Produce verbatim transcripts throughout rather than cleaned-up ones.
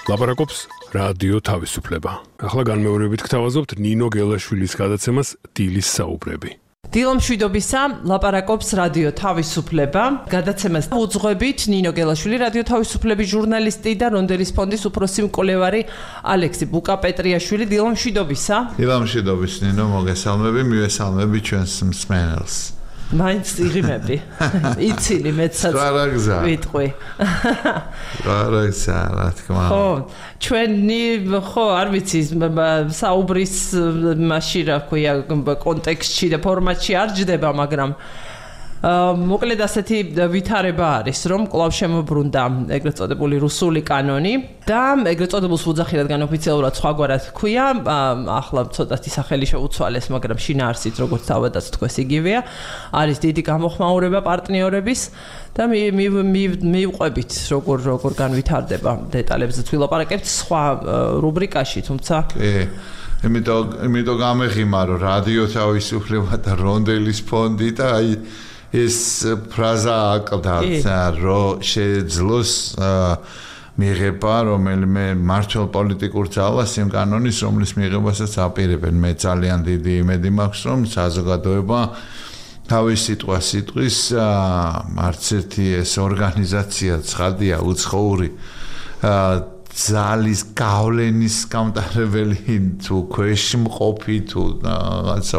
ლაპარაკობს რადიო თავისუფლება. ახლა განმეორებით გთავაზობთ ნინო გელაშვილის გადაცემას დილის საუბრები. დილომშვიდობისა, ლაპარაკობს რადიო თავისუფლება. გადაცემას უძღვებით ნინო გელაშვილი, რადიო თავისუფლების ჟურნალისტი და რონდელის ფონდის უფროსი მკვლევარი ალექსი ბუკაპეტრიაშვილი. დილომშვიდობისა. დილომშვიდობის ნინო, მოგესალმები, მივესალმები ჩვენს მსმენელს. მაინც იღიმები. იცილი მეცაც ვიტყვი. გარაგზა, რა თქმა უნდა. ხო, ჩვენი ხო, არ ვიცი, საუბრის მასში რა ქვია, კონტექსტში და ფორმატში არ ჯდება, მაგრამ მოკლედ ასეთი ვითარება არის, რომ კვლავ შემოbrunდა ეგრეთ წოდებული რუსული კანონი და ეგრეთ წოდებულს ვუძახი, რადგან ოფიციალურად სხვაგვარად ქვია, ახლა ცოტათი სახელი შეუცვალეს, მაგრამ შინაარსით როგორც თავადაც თქვეს იგივეა, არის დიდი გამოხმაურება პარტნიორების და მივყვებით როგორ როგორ განვითარდება დეტალებზე ვილაპარაკებთ სხვა რუბრიკაში, თუმცა კი იმიტომ იმიტომ გამეხიმა რომ რადიო თავისუფლება და რონდელის ფონდი და აი ეს ფრაზა აკლდაცა რომ შეძლოს მიღება რომელიმე მართლ პოლიტიკურ ძალას იმ კანონის რომლის მიღებასაც აპირებენ მე ძალიან დიდი იმედი მაქვს რომ საზოგადოება თავის სიტყვა სიტყვის არც ერთი ეს ორგანიზაცია ცხადია უცხოური ძალის გავლენის გამტარებელი თუ ქვეშმყოფი თუ რაღაცა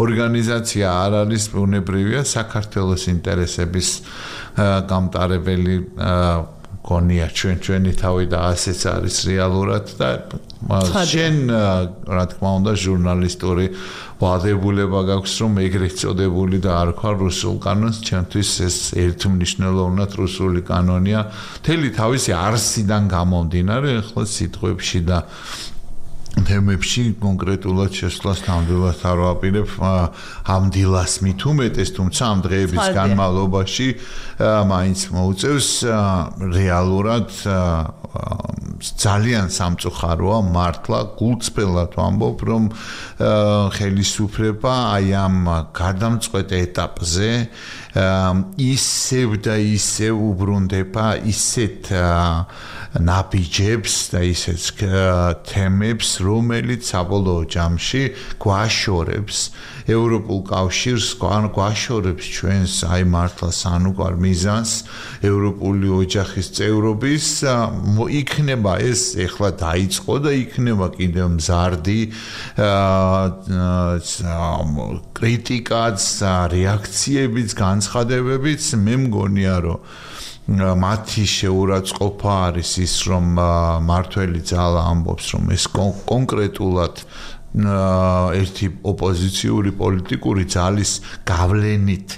ორგანიზაცია არ არის ბუნებრივია საქართველოს ინტერესების გამტარებელი გონია ჩვენ ჩვენი თავი და ასეც არის რეალურად და შენ რა თქმა უნდა ჟურნალისტური ვალდებულება გაქვს რომ ეგრეთ წოდებული და არ ხარ რუსულ კანონს ჩვენთვის ეს ერთმნიშვნელოვნად რუსული კანონია მთელი თავისი არსიდან გამომდინარე ახლა სიტყვებში და თემებში კონკრეტულად შესვლას ნამდვილად არ ვაპირებ ამ დილას მით უმეტეს თუმცა ამ დღეების განმავლობაში მაინც მოუწევს რეალურად ძალიან სამწუხაროა მართლა გულწრფელად ვამბობ რომ ხელისუფლება აი ამ გადამწყვეტ ეტაპზე ისევ და ისევ უბრუნდება ისეთ ნაბიჯებს და ისეთ თემებს რომელიც საბოლოო ჯამში გვაშორებს ევროპულ კავშირს, გვაშორებს ჩვენს აი მართლა სანუკვარ მიზანს ევროპული ოჯახის წევრობის იქნება ეს ეხლა დაიწყო და იქნება კიდევ მზარდი კრიტიკაც, რეაქციებიც, განცხადებებიც მე მგონია რომ მათი შეურაცხყოფა არის ის რომ მართველი ძალა ამბობს რომ ეს კონკრეტულად ერთი ოპოზიციური პოლიტიკური ძალის გავლენით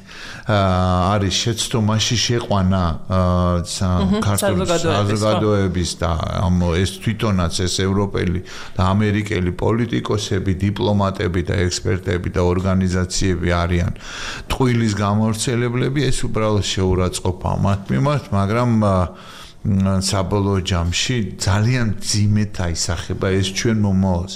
არის შეცდომაში შეყვანა ქართული საზოგადოების და ეს თვითონაც ეს ევროპელი და ამერიკელი პოლიტიკოსები, დიპლომატები და ექსპერტები და ორგანიზაციები არიან ტყუილის გამავრცელებლები, ეს უბრალოდ შეურაცხყოფა მათ მიმართ, მაგრამ საბოლოო ჯამში ძალიან ძიმედ აისახება ეს ჩვენ მომავალს.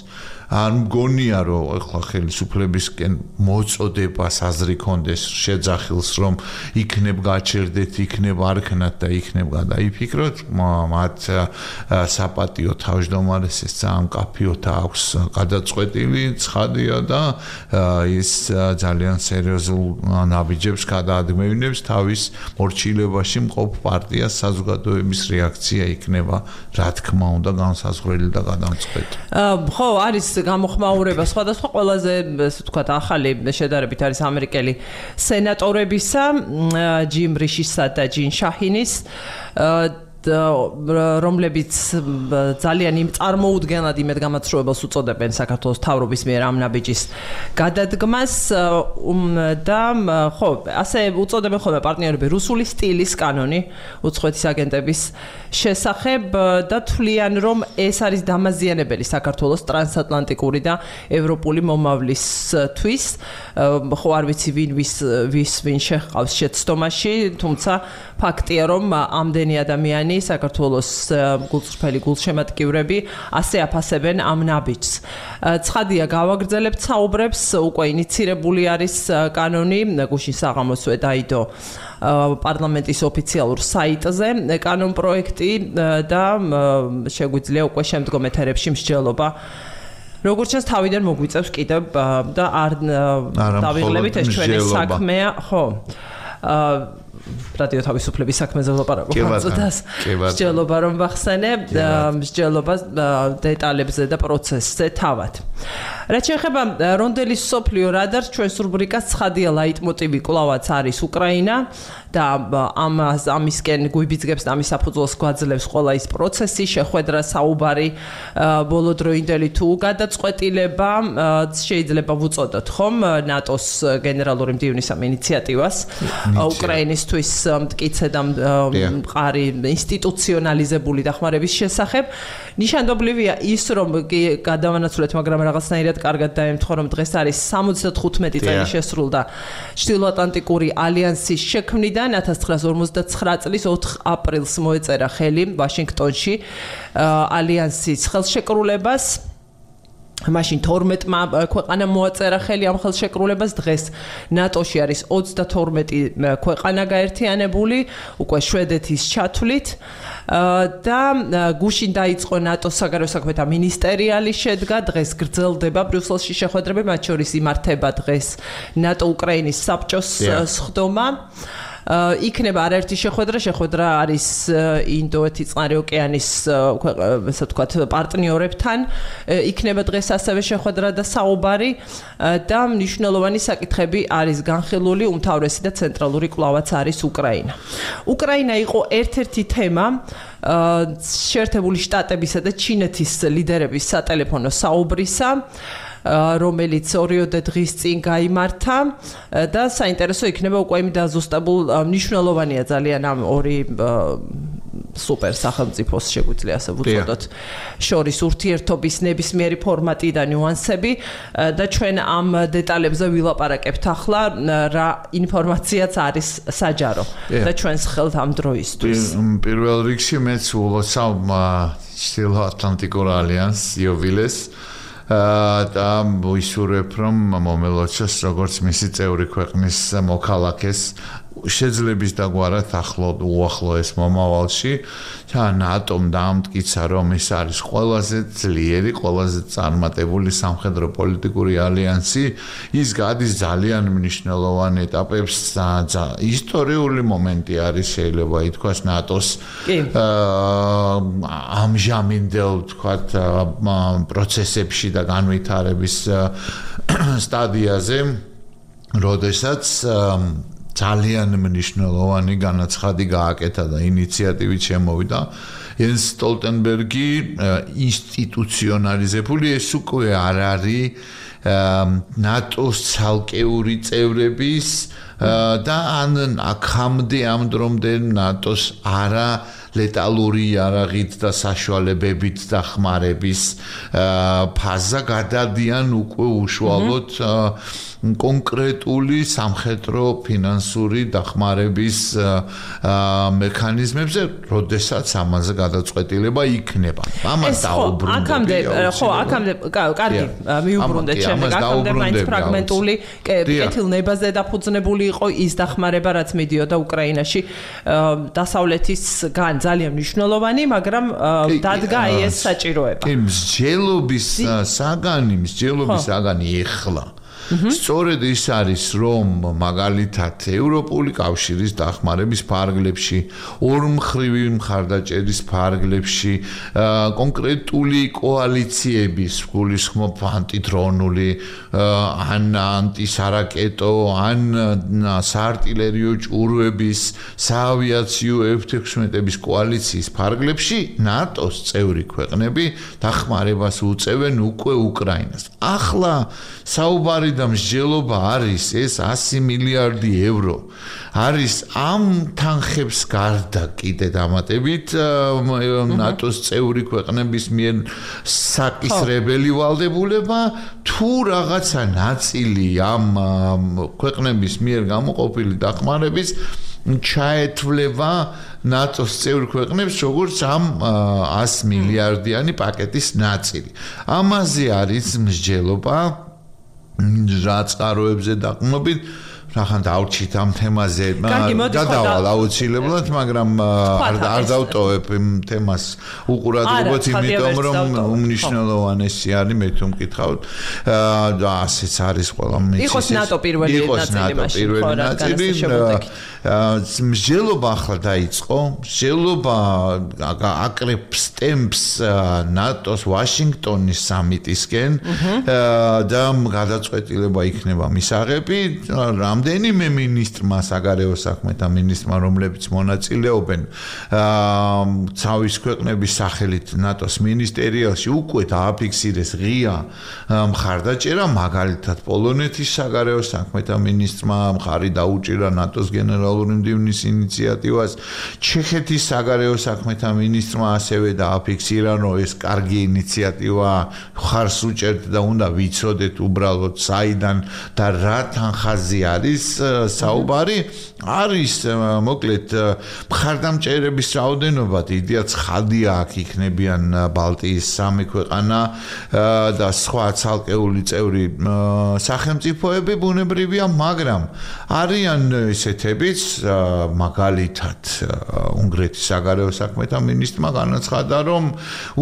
არ მგონია რომ ახლა ხელისუფლებისკენ მოწოდება საზრი კონდეს შეძახილს რომ იქნებ გაჩერდეთ, იქნებ არქნათ და იქნებ გადაიფიქროთ, მათ საპატიო თავმჯდომარეს ეს ძალიან კაფიოთ აქვს გადაწყვეტილი, ცხადია და ის ძალიან სერიოზულ ნაბიჯებს გადაადგმევინებს თავის მორჩილებაში მყოფ პარტიას საზოგადოების რეაქცია იქნება რა თქმა უნდა განსაზღვრელი და გადამწყვეტი. ხო, არის გამოხმაურება სხვადასხვა ყველაზე ესე ვთქვათ ახალი შედარებით არის ამერიკელი სენატორებისა ჯიმ რიშისა და ჯინ შაჰინის რომლებიც ძალიან იმ წარმოუდგენლად იმედგამაცრუებელს უწოდებენ საქართველოს თავრობის მიერ ამ ნაბიჯის გადადგმას და ხო ასე უწოდებენ ხოლმე პარტნიორები რუსული სტილის კანონი უცხოეთის აგენტების შესახებ და თვლიან რომ ეს არის დამაზიანებელი საქართველოს ტრანსატლანტიკური და ევროპული მომავლისთვის ხო არ ვიცი ვინ ვის ვის ვინ შეჰყავს შეცდომაში თუმცა ფაქტია რომ ამდენი ადამიანი ტრიუკიანი, საქართველოს გულწრფელი გულშემატკივრები ასე აფასებენ ამ ნაბიჯს. ცხადია, გავაგრძელებთ საუბრებს, უკვე ინიცირებული არის კანონი, გუშინ საღამოსვე დაიდო პარლამენტის ოფიციალურ საიტზე კანონ პროექტი და შეგვიძლია უკვე შემდგომ ეთერებში მსჯელობა როგორც ჩანს თავიდან მოგვიწევს კიდევ და არ დავიღლებით ეს ჩვენი საქმეა, ხო. რადიო თავისუფლების საქმეზე ვლაპარაკობ ამწოდას. მსჯელობა რომ ვახსენე, მსჯელობა დეტალებზე და პროცესზე თავად. რაც შეეხება რონდელის სოფლიო რადარს, ჩვენს რუბრიკას ცხადია ლაიტმოტივი კვლავაც არის უკრაინა და ამ ამისკენ გვიბიძგებს და ამის საფუძველს გვაძლევს ყველა ის პროცესი, შეხვედრა, საუბარი, ბოლოდროინდელი თუ გადაწყვეტილება, შეიძლება ვუწოდოთ ხომ ნატოს გენერალური მდივნის ამ ინიციატივას უკრაინისთვის მტკიცე და მყარი ინსტიტუციონალიზებული დახმარების შესახებ. ნიშანდობლივია ის, რომ გადავანაცვლეთ, მაგრამ რაღაცნაირად კარგად დაემთხვა, რომ დღეს არის სამოცდახუთმეტი წელი შესრულდა ჩრდილოატლანტიკური ალიანსის შექმნიდან ათას ცხრაას ორმოცდაცხრა წლის ოთხ აპრილს მოეწერა ხელი ვაშინგტონში ალიანსის ხელშეკრულებას. მაშინ თორმეტმა ქვეყანამ მოაწერა ხელი ამ ხელშეკრულებას, დღეს ნატოში არის ოცდათორმეტი ქვეყანა გაერთიანებული, უკვე შვედეთის ჩათვლით და გუშინ დაიწყო ნატოს საგარეო საქმეთა მინისტერიალი შედგა, დღეს გრძელდება ბრიუსელში შეხვედრები, მათ შორის იმართება დღეს ნატო-უკრაინის საბჭოს სხდომა. იქნება არაერთი შეხვედრა, შეხვედრა არის ინდოეთის წყნარი ოკეანის ესე ვთქვათ პარტნიორებთან, იქნება დღეს ასევე შეხვედრა და საუბარი და მნიშვნელოვანი საკითხები არის განხილული, უმთავრესი და ცენტრალური კვლავაც არის უკრაინა. უკრაინა იყო ერთ-ერთი თემა შეერთებული შტატებისა და ჩინეთის ლიდერების სატელეფონო საუბრისა, რომელიც ორიოდე დღის წინ გაიმართა და საინტერესო იქნება უკვე იმ დაზუსტებულ მნიშვნელოვანია ძალიან ამ ორი სუპერ სახელმწიფოს შეგვიძლია ასე ვუწოდოთ შორის ურთიერთობის ნებისმიერი ფორმატი და ნიუანსები და ჩვენ ამ დეტალებზე ვილაპარაკებთ ახლა რა ინფორმაციაც არის საჯარო და ჩვენს ხელთ ამ დროისთვის. პირველ რიგში მეც ულოცავ ჩრდილოატლანტიკურ ალიანსს იოვილეს და ვისურვებ რომ მომელოჩოს როგორც მისი წევრი ქვეყნის მოქალაქეს შეძლების დაგვარად ახლო უახლოეს მომავალში და ნატომ დაამტკიცა რომ ის არის ყველაზე ძლიერი, ყველაზე წარმატებული სამხედრო პოლიტიკური ალიანსი, ის გადის ძალიან მნიშვნელოვან ეტაპებს და ისტორიული მომენტი არის შეიძლება ითქვას ნატოს ამჟამინდელ თქვათ პროცესებში და განვითარების სტადიაზე, როდესაც ძალიან მნიშვნელოვანი განაცხადი გააკეთა და ინიციატივით შემოვიდა ენს სტოლტენბერგი ინსტიტუციონალიზებული, ეს უკვე არ არის ნატოს ცალკეული წევრების და ან აქამდე ამ დრომდე ნატოს არა ლეტალური იარაღით და საშუალებებით დახმარების ფაზა გადადიან უკვე უშუალოდ კონკრეტული სამხედრო ფინანსური დახმარების მექანიზმებზე, როდესაც ამაზე გადაწყვეტილება იქნება. ამას დაუბრუნდები. აქამდე, ხო, აქამდე კარგი, მიუბრუნდეთ შემდეგ, აქამდე მაინც ფრაგმენტული კეთილნებაზე დაფუძნებული იყო ის დახმარება, რაც მიდიოდა უკრაინაში დასავლეთისგან ძალიან მნიშვნელოვანი, მაგრამ დადგა აი ეს საჭიროება. კი, მსჯელობის საგანი, მსჯელობის საგანი ეხლა სწორედ ის არის, რომ მაგალითად ევროპული კავშირის დახმარების ფარგლებში, ორმხრივი მხარდაჭერის ფარგლებში, კონკრეტული კოალიციების, გულისხმობ ანტიდრონული, ან ანტისარაკეტო, ან საარტილერიო ჭურვების, საავიაციო ეფ ექვსმეტების კოალიციის ფარგლებში ნატოს წევრი ქვეყნები დახმარებას უწევენ უკვე უკრაინას. ახლა საუბარი და მსჯელობა არის ეს ასი მილიარდი ევრო. არის ამ თანხებს გარდა კიდე დამატებით ნატოს წევრი ქვეყნების მიერ საკისრებელი ვალდებულება თუ რაღაცა ნაწილი ამ ქვეყნების მიერ გამოყოფილი დახმარების ჩაეთვლება ნატოს წევრ ქვეყნებს როგორც ამ one hundred მილიარდიანი პაკეტის ნაწილი. ამაზე არის მსჯელობა რა წყაროებზე დაყრდნობით რახან დავჭით ამ თემაზე გადავალ აუცილებლად მაგრამ არ დავტოვებ იმ თემას უყურადღებოთ იმიტომ რომ უმნიშვნელოვანესი არის მე თუ მკითხავთ და ასეც არის ყველა მიცის იყოს ნატო პირველი ნაწილი მსჯელობა ახლა დაიწყო მსჯელობა აკრებს ტემპს ნატოს ვაშინგტონის სამიტისკენ და გადაწყვეტილება იქნება მისაღები რამდენიმე მინისტრმა საგარეო საქმეთა მინისტრმა რომლებიც მონაწილეობენ თავის ქვეყნების სახელით ნატოს მინისტერიაში უკვე დააფიქსირეს ღია მხარდაჭერა მაგალითად პოლონეთის საგარეო საქმეთა მინისტრმა მხარი დაუჭირა ნატოს გენერალური მდივნის ინიციატივას ჩეხეთის საგარეო საქმეთა მინისტრმა ასევე დააფიქსირა რომ ეს კარგი ინიციატივა ხარს უჭერთ და უნდა ვიცოდეთ უბრალოდ საიდან და რა თანხაზე არის საუბარი არის მოკლედ მხარდამჭერების რაოდენობა დიდია ცხადია აქ იქნებიან ბალტიის სამი ქვეყანა და სხვა ცალკეული წევრი სახელმწიფოები ბუნებრივია მაგრამ არიან ესეთებიც მაგალითად უნგრეთის საგარეო საქმეთა მინისტრმა განაცხადა რომ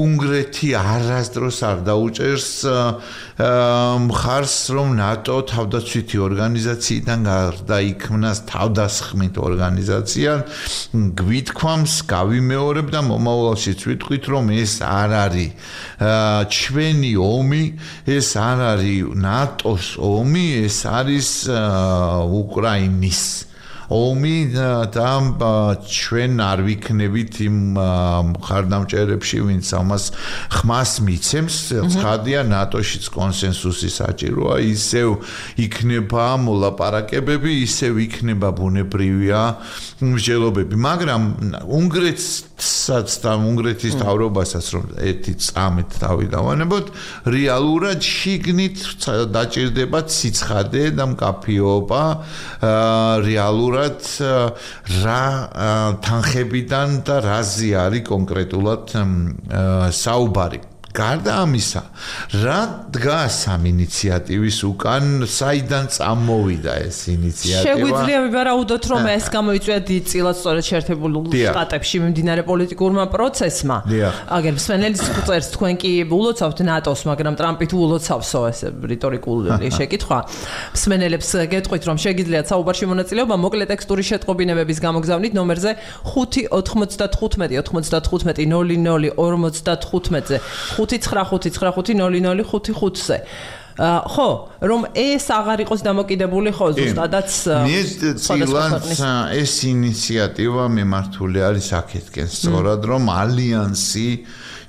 უნგრეთი არასდროს არ დაუჭერს მხარს რომ ნატო თავდაცვითი ორგანიზაციიდან გარდაიქმნას თავდასხმით ორგანიზაცია გვითქვამს გავიმეორებ და მომავალშიც ვიტყვით რომ ეს არ არის ჩვენი ომი ეს არ არის ნატოს ომი ეს არის უკრაინის ომი და ჩვენ არ ვიქნებით იმ მხარდამჭერებში ვინც ამას ხმას მიცემს ცხადია ნატოშიც კონსენსუსი საჭიროა ისევ იქნება მოლაპარაკებები ისევ იქნება ბუნებრივია მსჯელობები მაგრამ უნგრეთსაც და უნგრეთის თავრობასაც რომ ერთი წამით თავი დავანებოთ რეალურად შიგნით დაჭირდება ციცხადე და მკაფიობა რეალურად რა თანხებიდან და რაზე არის კონკრეტულად საუბარი გარდა ამისა რა დგას ამ ინიციატივის უკან საიდან წამოვიდა ეს ინიციატივა შეგვიძლია ვივარაუდოთ რომ ეს გამოიწვია დიდ წილად სწორედ შეერთებულ შტატებში მიმდინარე პოლიტიკურმა პროცესმა აგერ მსმენელის წერს თქვენ კი ულოცავთ ნატოს მაგრამ ტრამპი თუ ულოცავსო ეს რიტორიკული შეკითხვა მსმენელებს გეტყვით რომ შეგიძლიათ საუბარში მონაწილეობა მოკლე ტექსტური შეტყობინებების გამოგზავნით ნომერზე ხუთი ოთხმოცდათხუთმეტი ოთხმოცდათხუთმეტი ნოლი ნოლი ორმოცდათხუთმეტზე ხუთი ცხრა ხუთი ცხრა ხუთი ნოლი ნოლი ხუთი ხუთზე ხო რომ ეს აღარ იყოს დამოკიდებული ხო ზუსტადაც მე წილად ეს ინიციატივა მიმართული არის აქეთკენ სწორად რომ ალიანსი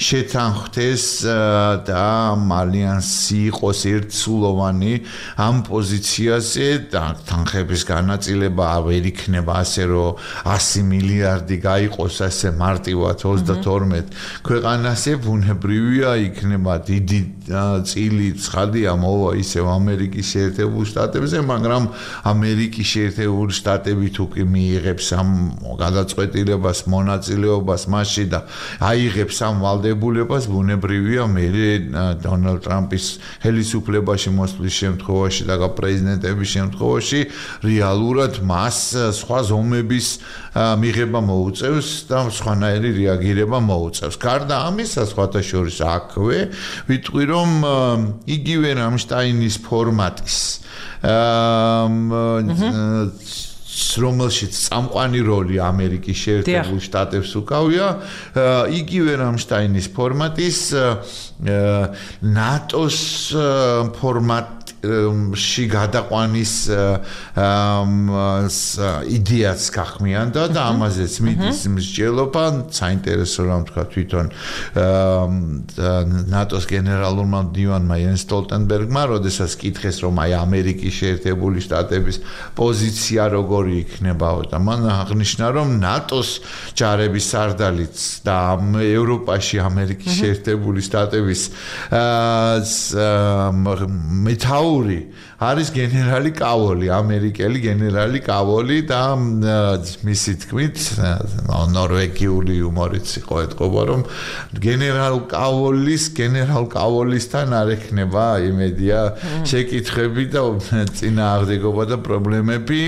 შეთანხმდეს და ალიანსი იყოს ერთსულოვანი ამ პოზიციაზე და თანხების განაწილება ვერ იქნება ასე რომ one hundred მილიარდი გაიყოს ასე მარტივად ოცდათორმეტ ქვეყანაზე ბუნებრივია იქნება დიდი წილი ცხადია მოვა ისევ ამერიკის შეერთებულ შტატებზე მაგრამ ამერიკის შეერთებული შტატები თუ კი მიიღებს ამ გადაწყვეტილებას მონაწილეობას მასში და აიღებს ამ ვალდებულებას ბუნებრივია მე დონალდ ტრამპის ხელისუფლებაში მოსვლის შემთხვევაში და პრეზიდენტების შემთხვევაში რეალურად მას სხვა ზომების მიღება მოუწევს და სხვანაირი რეაგირება მოუწევს გარდა ამისა სხვათა შორის აქვე ვიტყვი რომ იგივე რამშტაინის ფორმატის რომელშიც წამყვანი როლი ამერიკის შეერთებულ შტატებს უკავია იგივე რამშტაინის ფორმატის ნატოს ფორმატ ში გადაყვანის იდეაც გახმიანდა და ამაზეც მიდის მსჯელობა საინტერესო რამ თქვა თვითონ ნატოს გენერალურმა მდივანმა იენს სტოლტენბერგმა როდესაც კითხეს რომ აი ამერიკის შეერთებული შტატების პოზიცია როგორი იქნებაო და მან აღნიშნა რომ ნატოს ჯარების სარდალიც და ევროპაში ამერიკის შეერთებული შტატების მეტაუ მთავარი არის გენერალი კავოლი, ამერიკელი გენერალი კავოლი და მისი თქმით, ნორვეგიული იუმორიც იყო ეთყობა, რომ გენერალ კავოლის, გენერალ კავოლისთან არ ექნება იმედია შეკითხები და წინააღმდეგობა და პრობლემები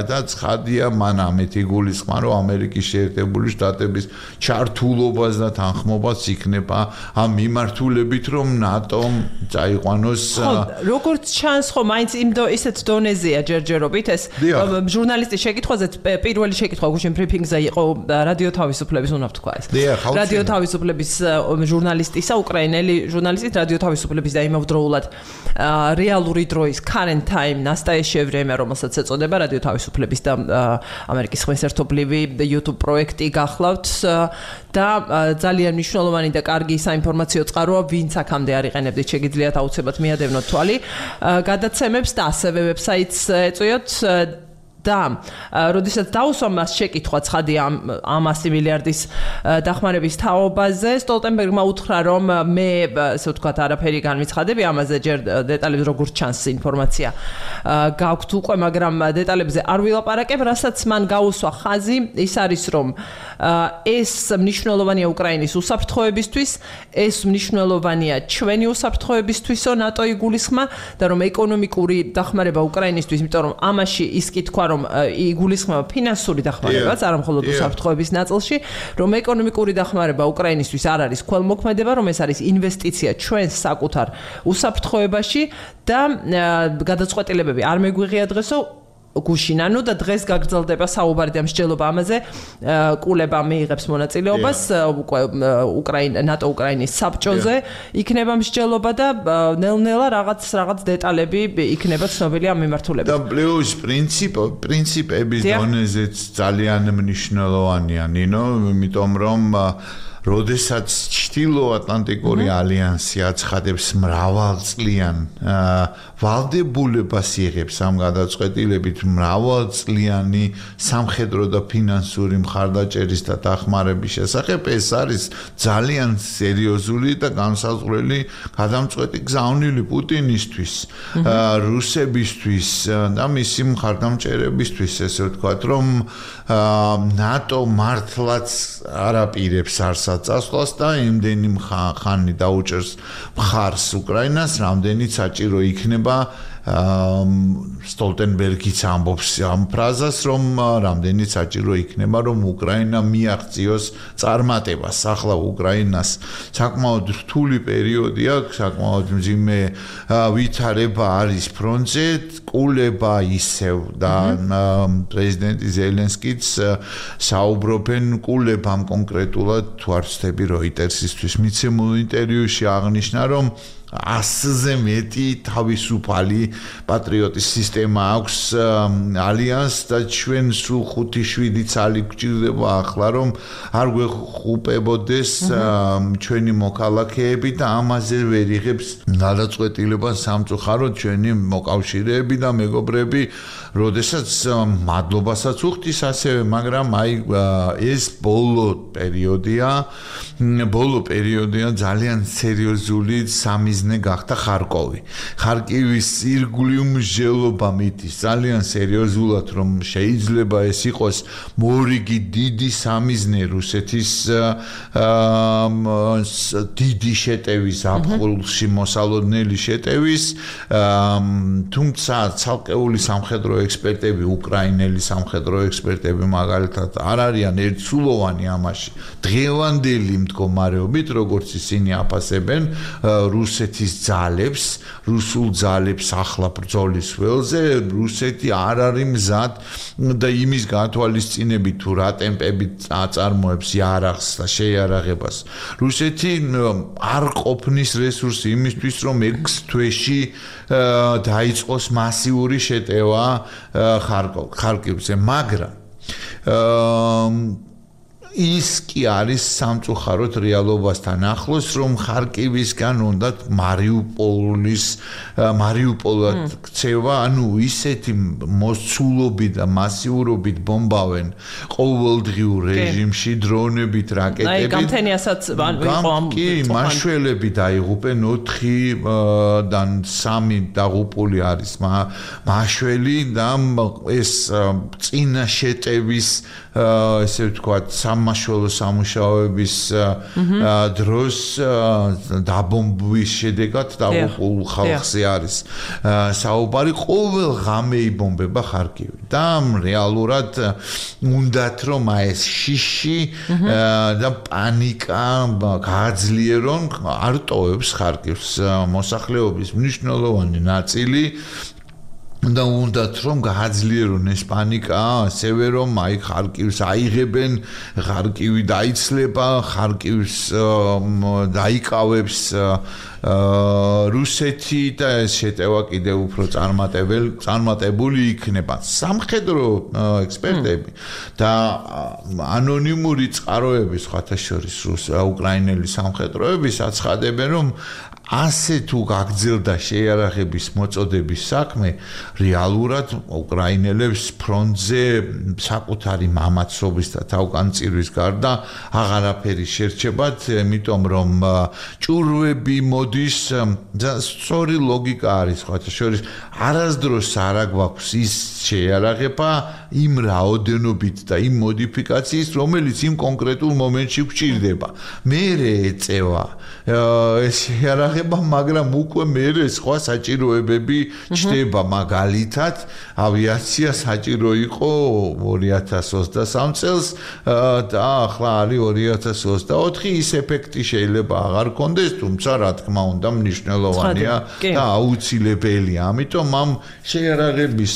და ცხადია მან ამეთი გულისხმა, რომ ამერიკის შეერთებული შტატების ჩართულობას და თანხმობას იქნება ამ მიმართულებით, რომ ნატომ წაიყვანოს როგორც ჩანს ხო მაინც იმ ისეთ დონეზეა ჯერჯერობით ეს ჟურნალისტის შეკითხვაზე პირველი შეკითხვა გუშინ ბრიფინგზე იყო რადიო თავისუფლების უნდა ვთქვა ეს რადიო თავისუფლების ჟურნალისტისა უკრაინელი ჟურნალისტის რადიო თავისუფლების და იმავდროულად რეალური დროის current time настоящее время რომელსაც ეწოდება რადიო თავისუფლების და ამერიკის ხმის ერთობლივი YouTube პროექტი გახლავთ და ძალიან მნიშვნელოვანი და კარგი საინფორმაციო წყაროა ვინც აქამდე არ იყენებდით შეგიძლიათ აუცილებლად მიადევნოთ თვალი გადაცემებს და ასევე ვებსაიტს ეწვიოთ და როდესაც დაუსვა მას შეკითხვა ცხადია ამ ასი მილიარდის დახმარების თაობაზე სტოლტენბერგმა უთხრა რომ მე ასე ვთქვათ არაფერი განვიცხადები ამაზე ჯერ დეტალებს როგორც ჩანს ინფორმაცია გაქვთ უკვე მაგრამ დეტალებზე არ ვილაპარაკებ რასაც მან გაუსვა ხაზი ის არის რომ ეს მნიშვნელოვანია უკრაინის უსაფრთხოებისთვის ეს მნიშვნელოვანია ჩვენი უსაფრთხოებისთვისო ნატო იგულისხმა და რომ ეკონომიკური დახმარება უკრაინისთვის იმიტომ რომ ამაში ის კითხვა რომ იგულისხმება ფინანსური დახმარებაც არა მხოლოდ უსაფრთხოების ნაწილში რომ ეკონომიკური დახმარება უკრაინისთვის არ არის ქველმოქმედება რომ ეს არის ინვესტიცია ჩვენს საკუთარ უსაფრთხოებაში და გადაწყვეტილებები არ მეგვიღია დღესო გუშინ ანუ და დღეს გაგრძელდება საუბარი და მსჯელობა ამაზე კულება მიიღებს მონაწილეობას უკრაინა ნატო უკრაინის საბჭოზე იქნება მსჯელობა და ნელ-ნელა რაღაც რაღაც დეტალები იქნება ცნობილი ამ მიმართულებით და პლუს პრინციპ პრინციპების დონეზეც ძალიან მნიშვნელოვანია ნინო იმიტომ რომ როდესაც ჩრდილოატლანტიკური ალიანსი აცხადებს მრავალწლიან ვალდებულებას იღებს ამ გადაწყვეტილებით მრავალწლიანი სამხედრო და ფინანსური მხარდაჭერის და დახმარების შესახებ ეს არის ძალიან სერიოზული და განსაზღვრელი გადამწყვეტი გზავნილი პუტინისთვის რუსებისთვის და მისი მხარდამჭერებისთვის ესე ვთქვათ რომ ნატო მართლაც არ აპირებს არს წასვლას და იმდენი ხანი დაუჭერს მხარს უკრაინას, რამდენიც საჭირო იქნება სტოლტენბერგიც ამბობს ამ ფრაზას, რომ რამდენიც საჭირო იქნება, რომ უკრაინა მიაღწიოს წარმატებას. ახლა უკრაინას საკმაოდ რთული პერიოდი აქვს, საკმაოდ მძიმე ვითარება არის ფრონტზე, კულება ისევ და პრეზიდენტი ზელენსკიც საუბრობენ კულებამ კონკრეტულად თუ არ ვცდები როიტერსისთვის მიცემულ ინტერვიუში აღნიშნა, რომ ასზე მეტი თავისუფალი პატრიოტის სისტემა აქვს ალიანს და ჩვენ სულ ხუთი შვიდი ცალი გვჭირდება ახლა რომ არ გვეხუპებოდეს ჩვენი მოქალაქეები და ამაზე ვერ იღებს გადაწყვეტილებას სამწუხაროდ ჩვენი მოკავშირეები და მეგობრები როდესაც მადლობასაც უხდის ასევე მაგრამ აი ეს ბოლო პერიოდია ბოლო პერიოდია ძალიან სერიოზული სამიზ გახდა ხარკოვი. ხარკივის ირგვლივ მსჯელობა მითის ძალიან სერიოზულად რომ შეიძლება ეს იყოს მორიგი დიდი სამიზნე რუსეთის დიდი შეტევის აფხულში მოსალოდნელი შეტევის თუმცა ცალკეული სამხედრო ექსპერტები უკრაინელი სამხედრო ექსპერტები მაგალითად არ არიან ერთსულოვანი ამაში დღევანდელი მდგომარეობით როგორც ისინი აფასებენ რუსეთი რუსეთის ძალებს, რუსულ ძალებს ახლა ბრძოლის ველზე, რუსეთი არ არის მზად და იმის გათვალისწინებით თუ რა ტემპებით აწარმოებს იარაღს და შეიარაღებას. რუსეთი არ ყოფნის რესურსი იმისთვის, რომ ექვს თვეში დაიწყოს მასიური შეტევა ხარკივზე, მაგრამ ის კი არის სამწუხაროდ რეალობასთან ახლოს, რომ ხარკივისგან უნდა მარიუპოლის მარიუპოლად ქცევა, ანუ ისეთი მოსცულობით და მასიურობით ბომბავენ ყოველდღიურ რეჟიმში დრონებით, რაკეტებით. აი, გამთენიასაც იყო ამ კი, მაშველები დაიღუპენ ოთხიდან სამი დაღუპული არის მაშველი და ეს წინა შეტევის ესე ვთქვათ, სამმაშველო სამუშაოების დროს დაბომბვის შედეგად დაღუპულ ხალხზე არის საუბარი. ყოველ ღამე იბომბება ხარკივი და რეალურად უნდათ რომ ეს შიში და პანიკა გააძლიერონ, არ ტოვებს ხარკივს მოსახლეობის მნიშვნელოვანი ნაწილი და უნდათ რომ გააძლიერონ ეს პანიკა, ასევე რომ აი ხარკივს აიღებენ, ხარკივი დაიცლება, ხარკივს დაიკავებს რუსეთი და ეს შეტევა კიდევ უფრო წარმატებული წარმატებული იქნება. სამხედრო ექსპერტები და ანონიმური წყაროები, სხვათა შორის უკრაინელი სამხედროების აცხადებენ, რომ ასე თუ გაგრძელდა შეიარაღების მოწოდების საქმე, რეალურად უკრაინელებს ფრონტზე საკუთარი მამაცობის და თავგანწირვის გარდა აღარაფერი შერჩებათ, იმიტომ რომ ჭურვები მოდის და სწორი ლოგიკა არის, სხვათა შორის არასდროს არ აგვაქვს ის შეიარაღება იმ რაოდენობით და იმ მოდიფიკაციის, რომელიც იმ კონკრეტულ მომენტში გვჭირდება. მერე ეწევა ეს შეიარაღება, მაგრამ უკვე მერე სხვა საჭიროებები ჩდება. მაგალითად, ავიაცია საჭირო იყო ორი ათას ოცდასამ წელს და ახლა არის ორი ათას ოცდაოთხი. ის ეფექტი შეიძლება აღარ გქონდეს, თუმცა რა თქმა უნდა მნიშვნელოვანია და აუცილებელია. ამიტომ ამ შეიარაღების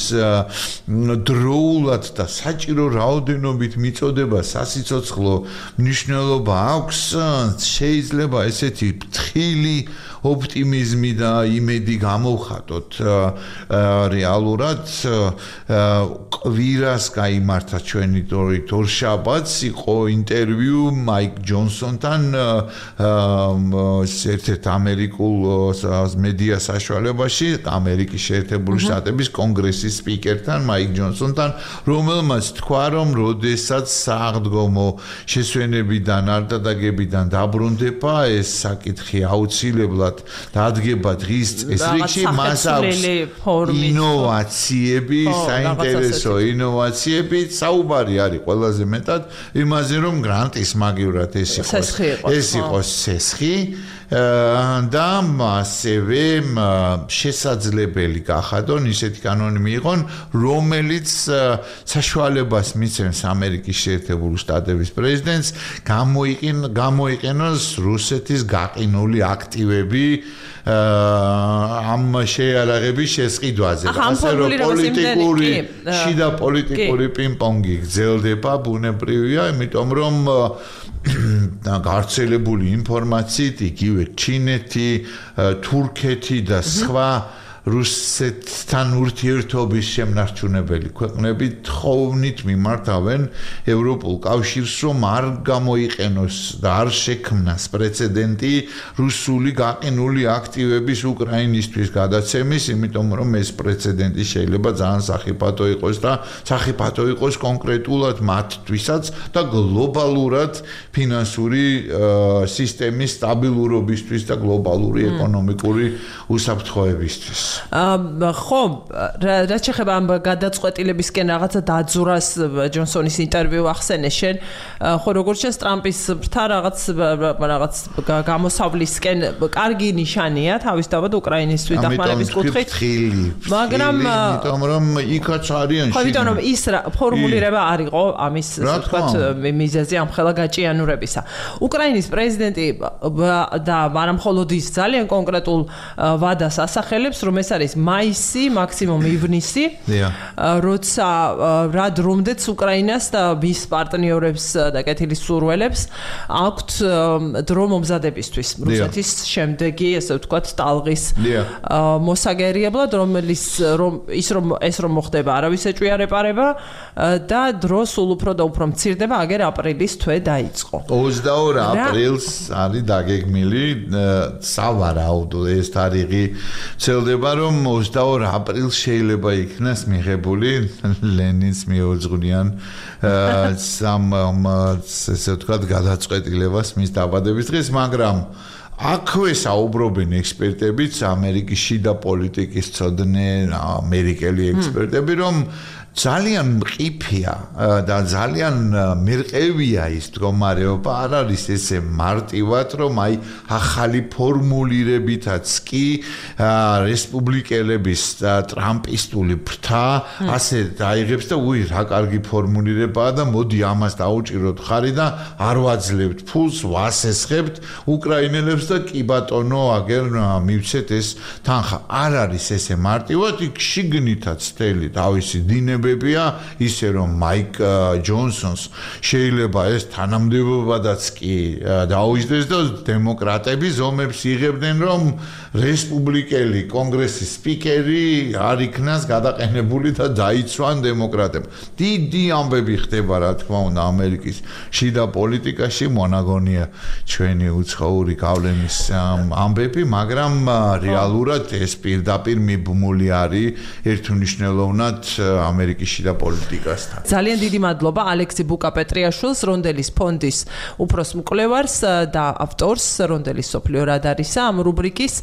დროულად და საჭირო რაოდენობით მიწოდება სასიცოცხლო მნიშვნელობა აქვს. შეიძლება ესეთი ფრთხილი ოპტიმიზმი და იმედი გამოვხატოთ. რეალურად კვირას გაიმართა ჩვენი თორშაბათს, იყო ინტერვიუ მაიკ ჯონსონთან, ერთ-ერთ ამერიკულ მედია საშუალებაში, ამერიკის შეერთებული შტატების კონგრესის სპიკერთან, მაიკ ჯონსონთან, რომელმაც თქვა, რომ როდესაც სააღდგომო შესვენებიდან, არდადეგებიდან დაბრუნდება, ეს საკითხი აუცილებლად დადგება დღის წესრიგში, მას აქვს ინოვაციები, საინტერესო ინოვაციები, საუბარი არის ყველაზე მეტად იმაზე, რომ გრანტის მაგივრად ეს იყოს ეს იყოს სესხი და ასევე შესაძლებელი გახადონ ისეთი კანონი მიიღონ, რომელიც საშუალებას მისცემს ამერიკის შეერთებული შტატების პრეზიდენტს გამოიყენოს რუსეთის გაყინული აქტივები ამ შეიარაღების შესყიდვაზე. ასე რომ პოლიტიკური შიდა პოლიტიკური პინგ-პონგი გრძელდება, ბუნებრივია, იმიტომ რომ გავრცელებული ინფორმაციით იგივე ჩინეთი, თურქეთი და სხვა რუსეთთან ურთიერთობის შემნარჩუნებელი ქვეყნები თხოვნით მიმართავენ ევროპულ კავშირს, რომ არ გამოიყენოს და არ შექმნას პრეცედენტი რუსული გაყინული აქტივების უკრაინისთვის გადაცემის, იმიტომ რომ ეს პრეცედენტი შეიძლება ძალიან სახიფათო იყოს და სახიფათო იყოს კონკრეტულად მათთვისაც და გლობალურად ფინანსური სისტემის სტაბილურობისთვის და გლობალური ეკონომიკური უსაფრთხოებისთვის. ხო, რაც შეეხება ამ გადაწყვეტილებისკენ რაღაცა დაძურას ჯონსონის ინტერვიუ ახსენე შენ, ხო როგორც შენს ტრამპის ბრთა რაღაც რაღაც გამოსავლისკენ კარგი ნიშანია თავისთავად უკრაინისთვის დახმარების კუთხით, მაგრამ იმიტომ რომ იქაც არიან ხო, იმიტომ რომ ის ფორმულირება არ იყო ამის ვთქვათ მიზეზი ამ ხელა გაჭიანურებისა. უკრაინის პრეზიდენტი და არა მხოლოდ ის ძალიან კონკრეტულ ვადას ასახელებს, რომ ეს ეს არის მაისი, მაქსიმუმ ივნისი. როცა რა დრომდეც უკრაინას და მის პარტნიორებს და კეთილის სურველებს აქვთ დრო მომზადებისთვის რუსეთის შემდეგი, ესე ვთქვათ, ტალღის მოსაგერიებლად, რომელიც რომ ის რომ ეს რომ მოხდება, არავის ეჭვიარეპარება და დრო სულ უფრო და უფრო მცირდება, აგერ აპრილის თვე დაიწყო. ოცდაორი აპრილს არის დაგეგმილი სავარაუდო ეს თარიღი ცელდება, რომ ოცდაორი აპრილს შეიძლება იქნას მიღებული ლენინს მიუძღვნიან სამ ესე ვთქვათ გადაწყვეტილებას მის დაბადების დღეს, მაგრამ აქვე საუბრობენ ექსპერტებიც, ამერიკის შიდა პოლიტიკის ცოდნე ამერიკელი ექსპერტები, რომ ძალიან მყიფია და ძალიან მერყევია ის მდგომარეობა, არ არის ესე მარტივად, რომ აი ახალი ფორმულირებითაც კი რესპუბლიკელების და ტრამპისტული ფრთა ასე დაიღებს და უი რა კარგი ფორმულირებაა და მოდი ამას დაუჭიროთ ხარი და არ ვაძლევთ ფულს, ვასესხებთ უკრაინელებს და კი ბატონო აგერ მივცეთ ეს თანხა. არ არის ესე მარტივად, იქ შიგნითაც თელი თავისი დინები ისე რომ მაიკ ჯონსონს შეიძლება ეს თანამდებობადაც კი დაუჯდეს და დემოკრატები ზომებს იღებდნენ, რომ რესპუბლიკელი კონგრესის სპიკერი არ იქნას გადაყენებული და დაიცვან დემოკრატებს. დიდი ამბები ხდება, რა თქმა უნდა, ამერიკის შიდა პოლიტიკაში, მონაგონია ჩვენი უცხოური გავლენის ამბები, მაგრამ რეალურად ეს პირდაპირ მიბმული არის ერთუნიშნელოვნად ამერიკის შიდა პოლიტიკასთან. ძალიან დიდი მადლობა ალექსი ბუკა-პეტრიაშვილს, რონდელის ფონდის უფროს მკვლევარს და ავტორს, რონდელის სოფლიო რადარისა ამ რუბრიკის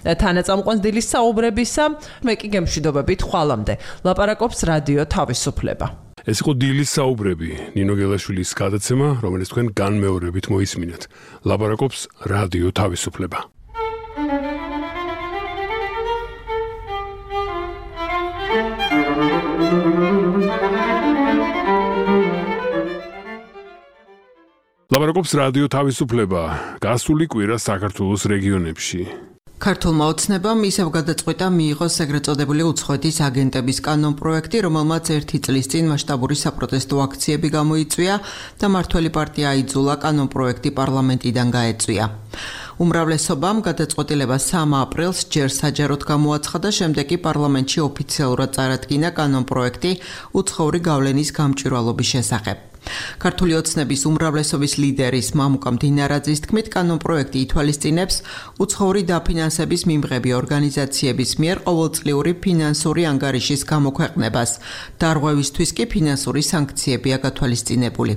თანაწამყვანს დილის საუბრებისა. მე კი გემშვიდობებით ხვალამდე. ლაპარაკობს რადიო თავისუფლება. ეს იყო დილის საუბრები, ნინო გელაშვილის გადაცემა, რომელიც თქვენ განმეორებით მოისმინეთ. ლაპარაკობს რადიო თავისუფლება. ლაპარაკობს რადიო თავისუფლება. გასული კვირა საქართველოს რეგიონებში. ქართულმა ოცნებამ ისევ გადაწყვიტა მიიღო ეგრეთ წოდებული უცხოეთის აგენტების კანონპროექტი, რომელმაც ერთი წლის წინ მასშტაბური საპროტესტო აქციები გამოიწვია და მართველი პარტია აიძულა კანონპროექტი პარლამენტიდან გაეწვია. უმრავლესობამ გადაწყვეტილება სამ აპრილს ჯერ საჯაროდ გამოაცხადა, შემდეგ კი პარლამენტში ოფიციალურად წარადგინა კანონპროექტი უცხოური გავლენის გამჭვირვალობის შესახებ. ქართული ოცნების უმრავლესობის ლიდერის მამუკა მდინარაძის თქმით, კანონპროექტი ითვალისწინებს უცხოური დაფინანსების მიმღები ორგანიზაციების მიერ ყოველწლიური ფინანსური ანგარიშის გამოქვეყნებას. დარღვევისთვის კი ფინანსური სანქციებია გათვალისწინებული.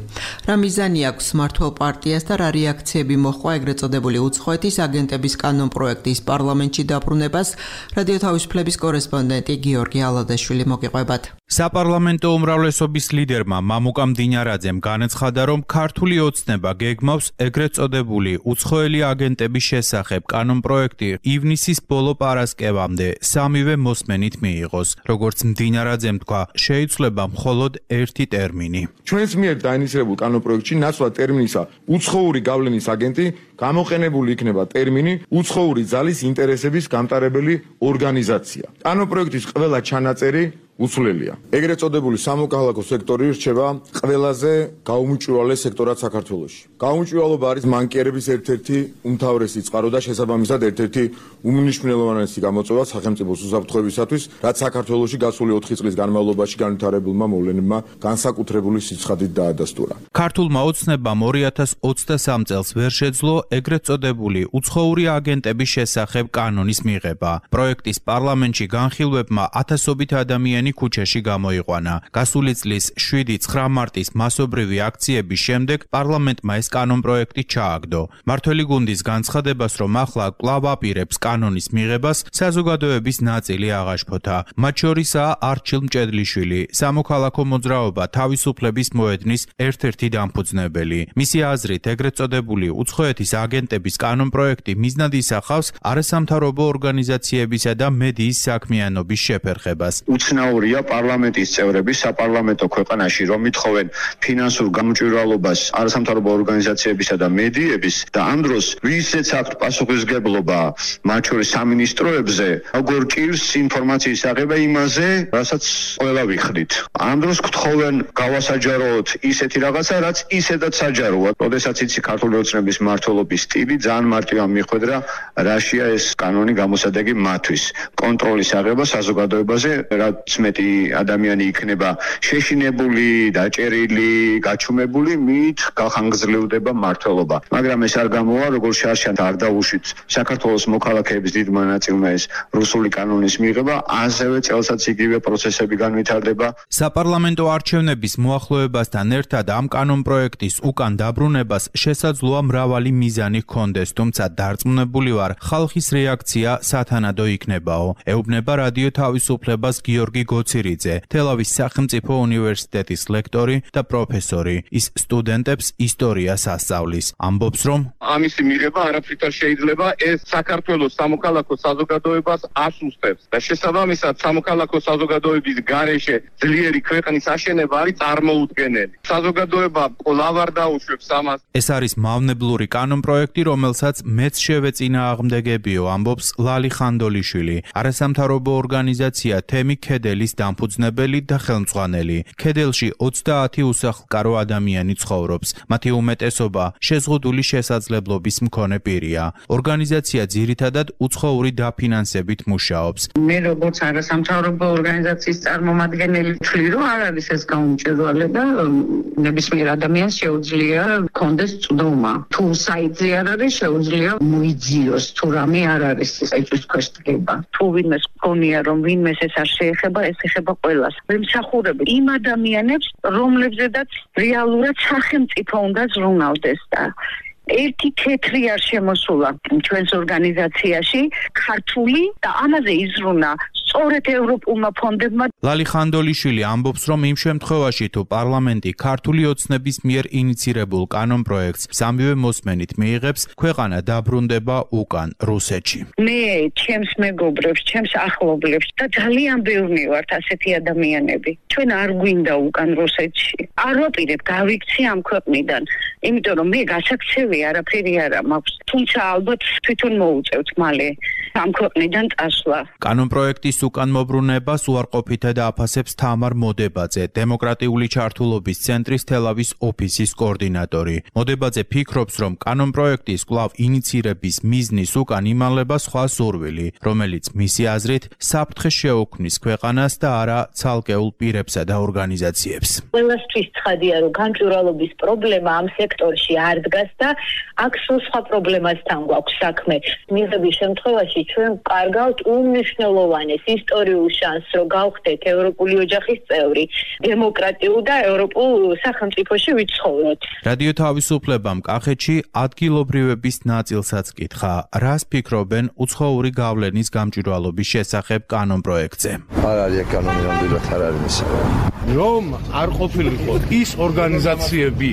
რა მიზანი აქვს მმართველ პარტიას და რა რეაქციები მოჰყვა ეგრეთ წოდებული უცხოეთის აგენტების კანონპროექტის პარლამენტში დაბრუნებას, რადიო თავისუფლების კორესპონდენტი გიორგი ალადაშვილი მოგიყვებათ. საპარლამენტო უმრავლესობის ლიდერმა მამუკა მდინარაძემ განაცხადა, რომ ქართული ოცნება გეგმავს ეგრეთ წოდებული უცხოელი აგენტების შესახებ კანონპროექტი ივნისის ბოლო პარასკევამდე სამივე მოსმენით მიიღოს. როგორც მდინარაძემ თქვა, შეიცვლება მხოლოდ ერთი ტერმინი. ჩვენს მიერ დაინიცირებულ კანონპროექტში ნაცვლად ტერმინისა უცხოური გავლენის აგენტი გამოყენებული იქნება ტერმინი უცხოური ძალის ინტერესების გამტარებელი ორგანიზაცია. კანონპროექტის ყველა ჩანაწერი უცვლელია. ეგრეთ წოდებული სამოქალაქო სექტორი რჩება ყველაზე გაუმჭვირვალე სექტორად საქართველოში. გაუმჭვირვალობა არის მანკიერების ერთ-ერთი უმთავრესი წყარო და შესაბამისად ერთ-ერთი უმნიშვნელოვანესი გამოწვევა სახელმწიფოს უსაფრთხოებისათვის, რაც საქართველოში გასული ოთხი წლის განმავლობაში განვითარებულმა მოვლენებმა განსაკუთრებული სიცხადით დაადასტურა. ქართულმა ოცნებამ ორი ათას ოცდასამ წელს ვერ შეძლო ეგრეთ წოდებული უცხოური აგენტების შესახებ კანონის მიღება. პროექტის პარლამენტში განხილვებმა ათასობით ადამიანი ქუჩაში გამოიყვანა. გასული წლის შვიდი ცხრა მარტის მასობრივი აქციების შემდეგ პარლამენტმა ეს კანონპროექტი ჩააგდო. მართველი გუნდის განცხადებას, რომ ახლა კვლავ აპირებს კანონის მიღებას, საზოგადოების ნაწილი აღაშფოთა. მათ შორისაა არჩილ მჭედლიშვილი, სამოქალაქო მოძრაობა თავისუფლების მოედნის ერთ-ერთი დამფუძნებელი. მისი აზრით, ეგრეთ წოდებული უცხოეთის აგენტების კანონპროექტი მიზნად ისახავს არასამთავრობო ორგანიზაციებისა და მედიის საქმიანობის შეფერხებას. უცნაურ უცნაურია პარლამენტის წევრები საპარლამენტო ქვეყანაში რომ ითხოვენ ფინანსურ გამჭვირვალობას არასამთავრობო ორგანიზაციებისა და მედიების და ამ დროს ვისაც აქვთ პასუხისმგებლობა მათ შორის სამინისტროებზე როგორ ჭირს ინფორმაციის აღება იმაზე რასაც ყველა ვიხდით ამ დროს გთხოვენ გავასაჯაროთ ისეთი რაღაცა რაც ისედაც საჯაროა როდესაც იცი ქართული ოცნების მმართველობის სტილი ძალიან მარტივად მიხვედრა რაშია ეს კანონი გამოსადეგი მათთვის კონტროლის აღება საზოგადოებაზე რაც მეტი ადამიანი იქნება შეშინებული დაჭერილი გაჩუმებული მით გახანგრძლივდება მმართველობა მაგრამ ეს არ გამოვა როგორ შარშან არ დაუშვით საქართველოს მოქალაქეების დიდმა ნაწილმა ეს რუსული კანონის მიღება ასევე წელსაც იგივე პროცესები განვითარდება საპარლამენტო არჩევნების მოახლოებასთან ერთად ამ კანონპროექტის უკან დაბრუნებას შესაძლოა მრავალი მიზანი ჰქონდეს თუმცა დარწმუნებული ვარ ხალხის რეაქცია სათანადო იქნებაო ეუბნება რადიო თავისუფლებას გიორგი გოცირიძე თელავის სახელმწიფო უნივერსიტეტის ლექტორი და პროფესორი ის სტუდენტებს ისტორიას ასწავლის ამბობს რომ ამისი მიღება არაფრით არ შეიძლება ეს საქართველოს სამოქალაქო საზოგადოებას ასუსტებს და შესაბამისად სამოქალაქო საზოგადოების გარეშე ძლიერი ქვეყნის აშენება არის წარმოუდგენელი საზოგადოება კვლავ არ დაუშვებს ამას ეს არის მავნებლური კანონპროექტი რომელსაც მეც შევეწინააღმდეგებიო ამბობს ლალი ხანდოლიშვილი არასამთავრობო ორგანიზაცია თემი ქედელის დამფუძნებელი და ხელმძღვანელი ქედელში ოცდაათი უსახლკარო ადამიანი ცხოვრობს მათი უმეტესობა შეზღუდული შესაძლებლობის მქონე პირია ორგანიზაცია ძირითადად უცხოური დაფინანსებით მუშაობს მე როგორც არასამთავრობო ორგანიზაციის წარმომადგენელი ვთვლი რომ არ არის ეს გაუმჭირვალება ნებისმიერ ადამიანს შეუძლია კონდეს წვდომა თუ საიტზე არ არის შეუძლია მოიძიოს თუ რამე არ არის საიტის ქვეშ დგება თუ ვინმეს გქონია რომ ვინმეს ეს არ შეეხება ეს ეხება ყველას ვიმსახურებ იმ ადამიანებს რომლებზედაც რეალურად სახელმწიფო უნდა ზრუნავდეს და ერთი თეთრი არ შემოსულა ჩვენს ორგანიზაციაში ქართული და ამაზე იზრუნა სწორედ ევროპულმა ფონდებმა ლალი ხანდოლიშვილი ამბობს რომ იმ შემთხვევაში თუ პარლამენტი ქართული ოცნების მიერ ინიცირებულ კანონპროექტს სამივე მოსმენით მიიღებს ქვეყანა დაბრუნდება უკან რუსეთში მე ჩემს მეგობრებს ჩემს ახლობლებს და ძალიან ბევრი ვართ ასეთი ადამიანები ჩვენ არ გვინდა უკან რუსეთში არ ვაპირებ გავიქცე ამ ქვეყნიდან იმიტომ რომ მე გასაქცევი არაფერი არა მაქვს თუმცა ალბათ თვითონ მოუწევთ მალე ამ ქვეყნიდან წასვლა კანონპროექტის უკან მობრუნებას უარყოფითად აფასებს თამარ მოდებაძე დემოკრატიული ჩართულობის ცენტრის თელავის ოფისის კოორდინატორი მოდებაძე ფიქრობს რომ კანონპროექტის კვლავ ინიცირების მიზნის უკან იმალება სხვა სურვილი რომელიც მისი აზრით საფრთხეს შეუქმნის ქვეყანას და არა ცალკეულ პირებსა და ორგანიზაციებს ყველასთვის ცხადია რომ განჭურვალობის პრობლემა ამ სექტორში არ დგას და აქ სხვა პრობლემასთან გვაქვს საქმე მიღების შემთხვევაში ჩვენ კარგავთ უმნიშვნელოვანეს ისტორიულ შანსს რომ გავხდეთ ევროპული ოჯახის წევრი დემოკრატიულ და ევროპულ სახელმწიფოში ვიცხოვროთ რადიო თავისუფლებამ კახეთში ადგილობრივების ნაწილსაც კითხა რას ფიქრობენ უცხოური გავლენის გამჭვირვალობის შესახებ კანონპროექტზე არ არის კანონი რამდენად არ არის მისაღები რომ არ ყოფილიყო ის ორგანიზაციები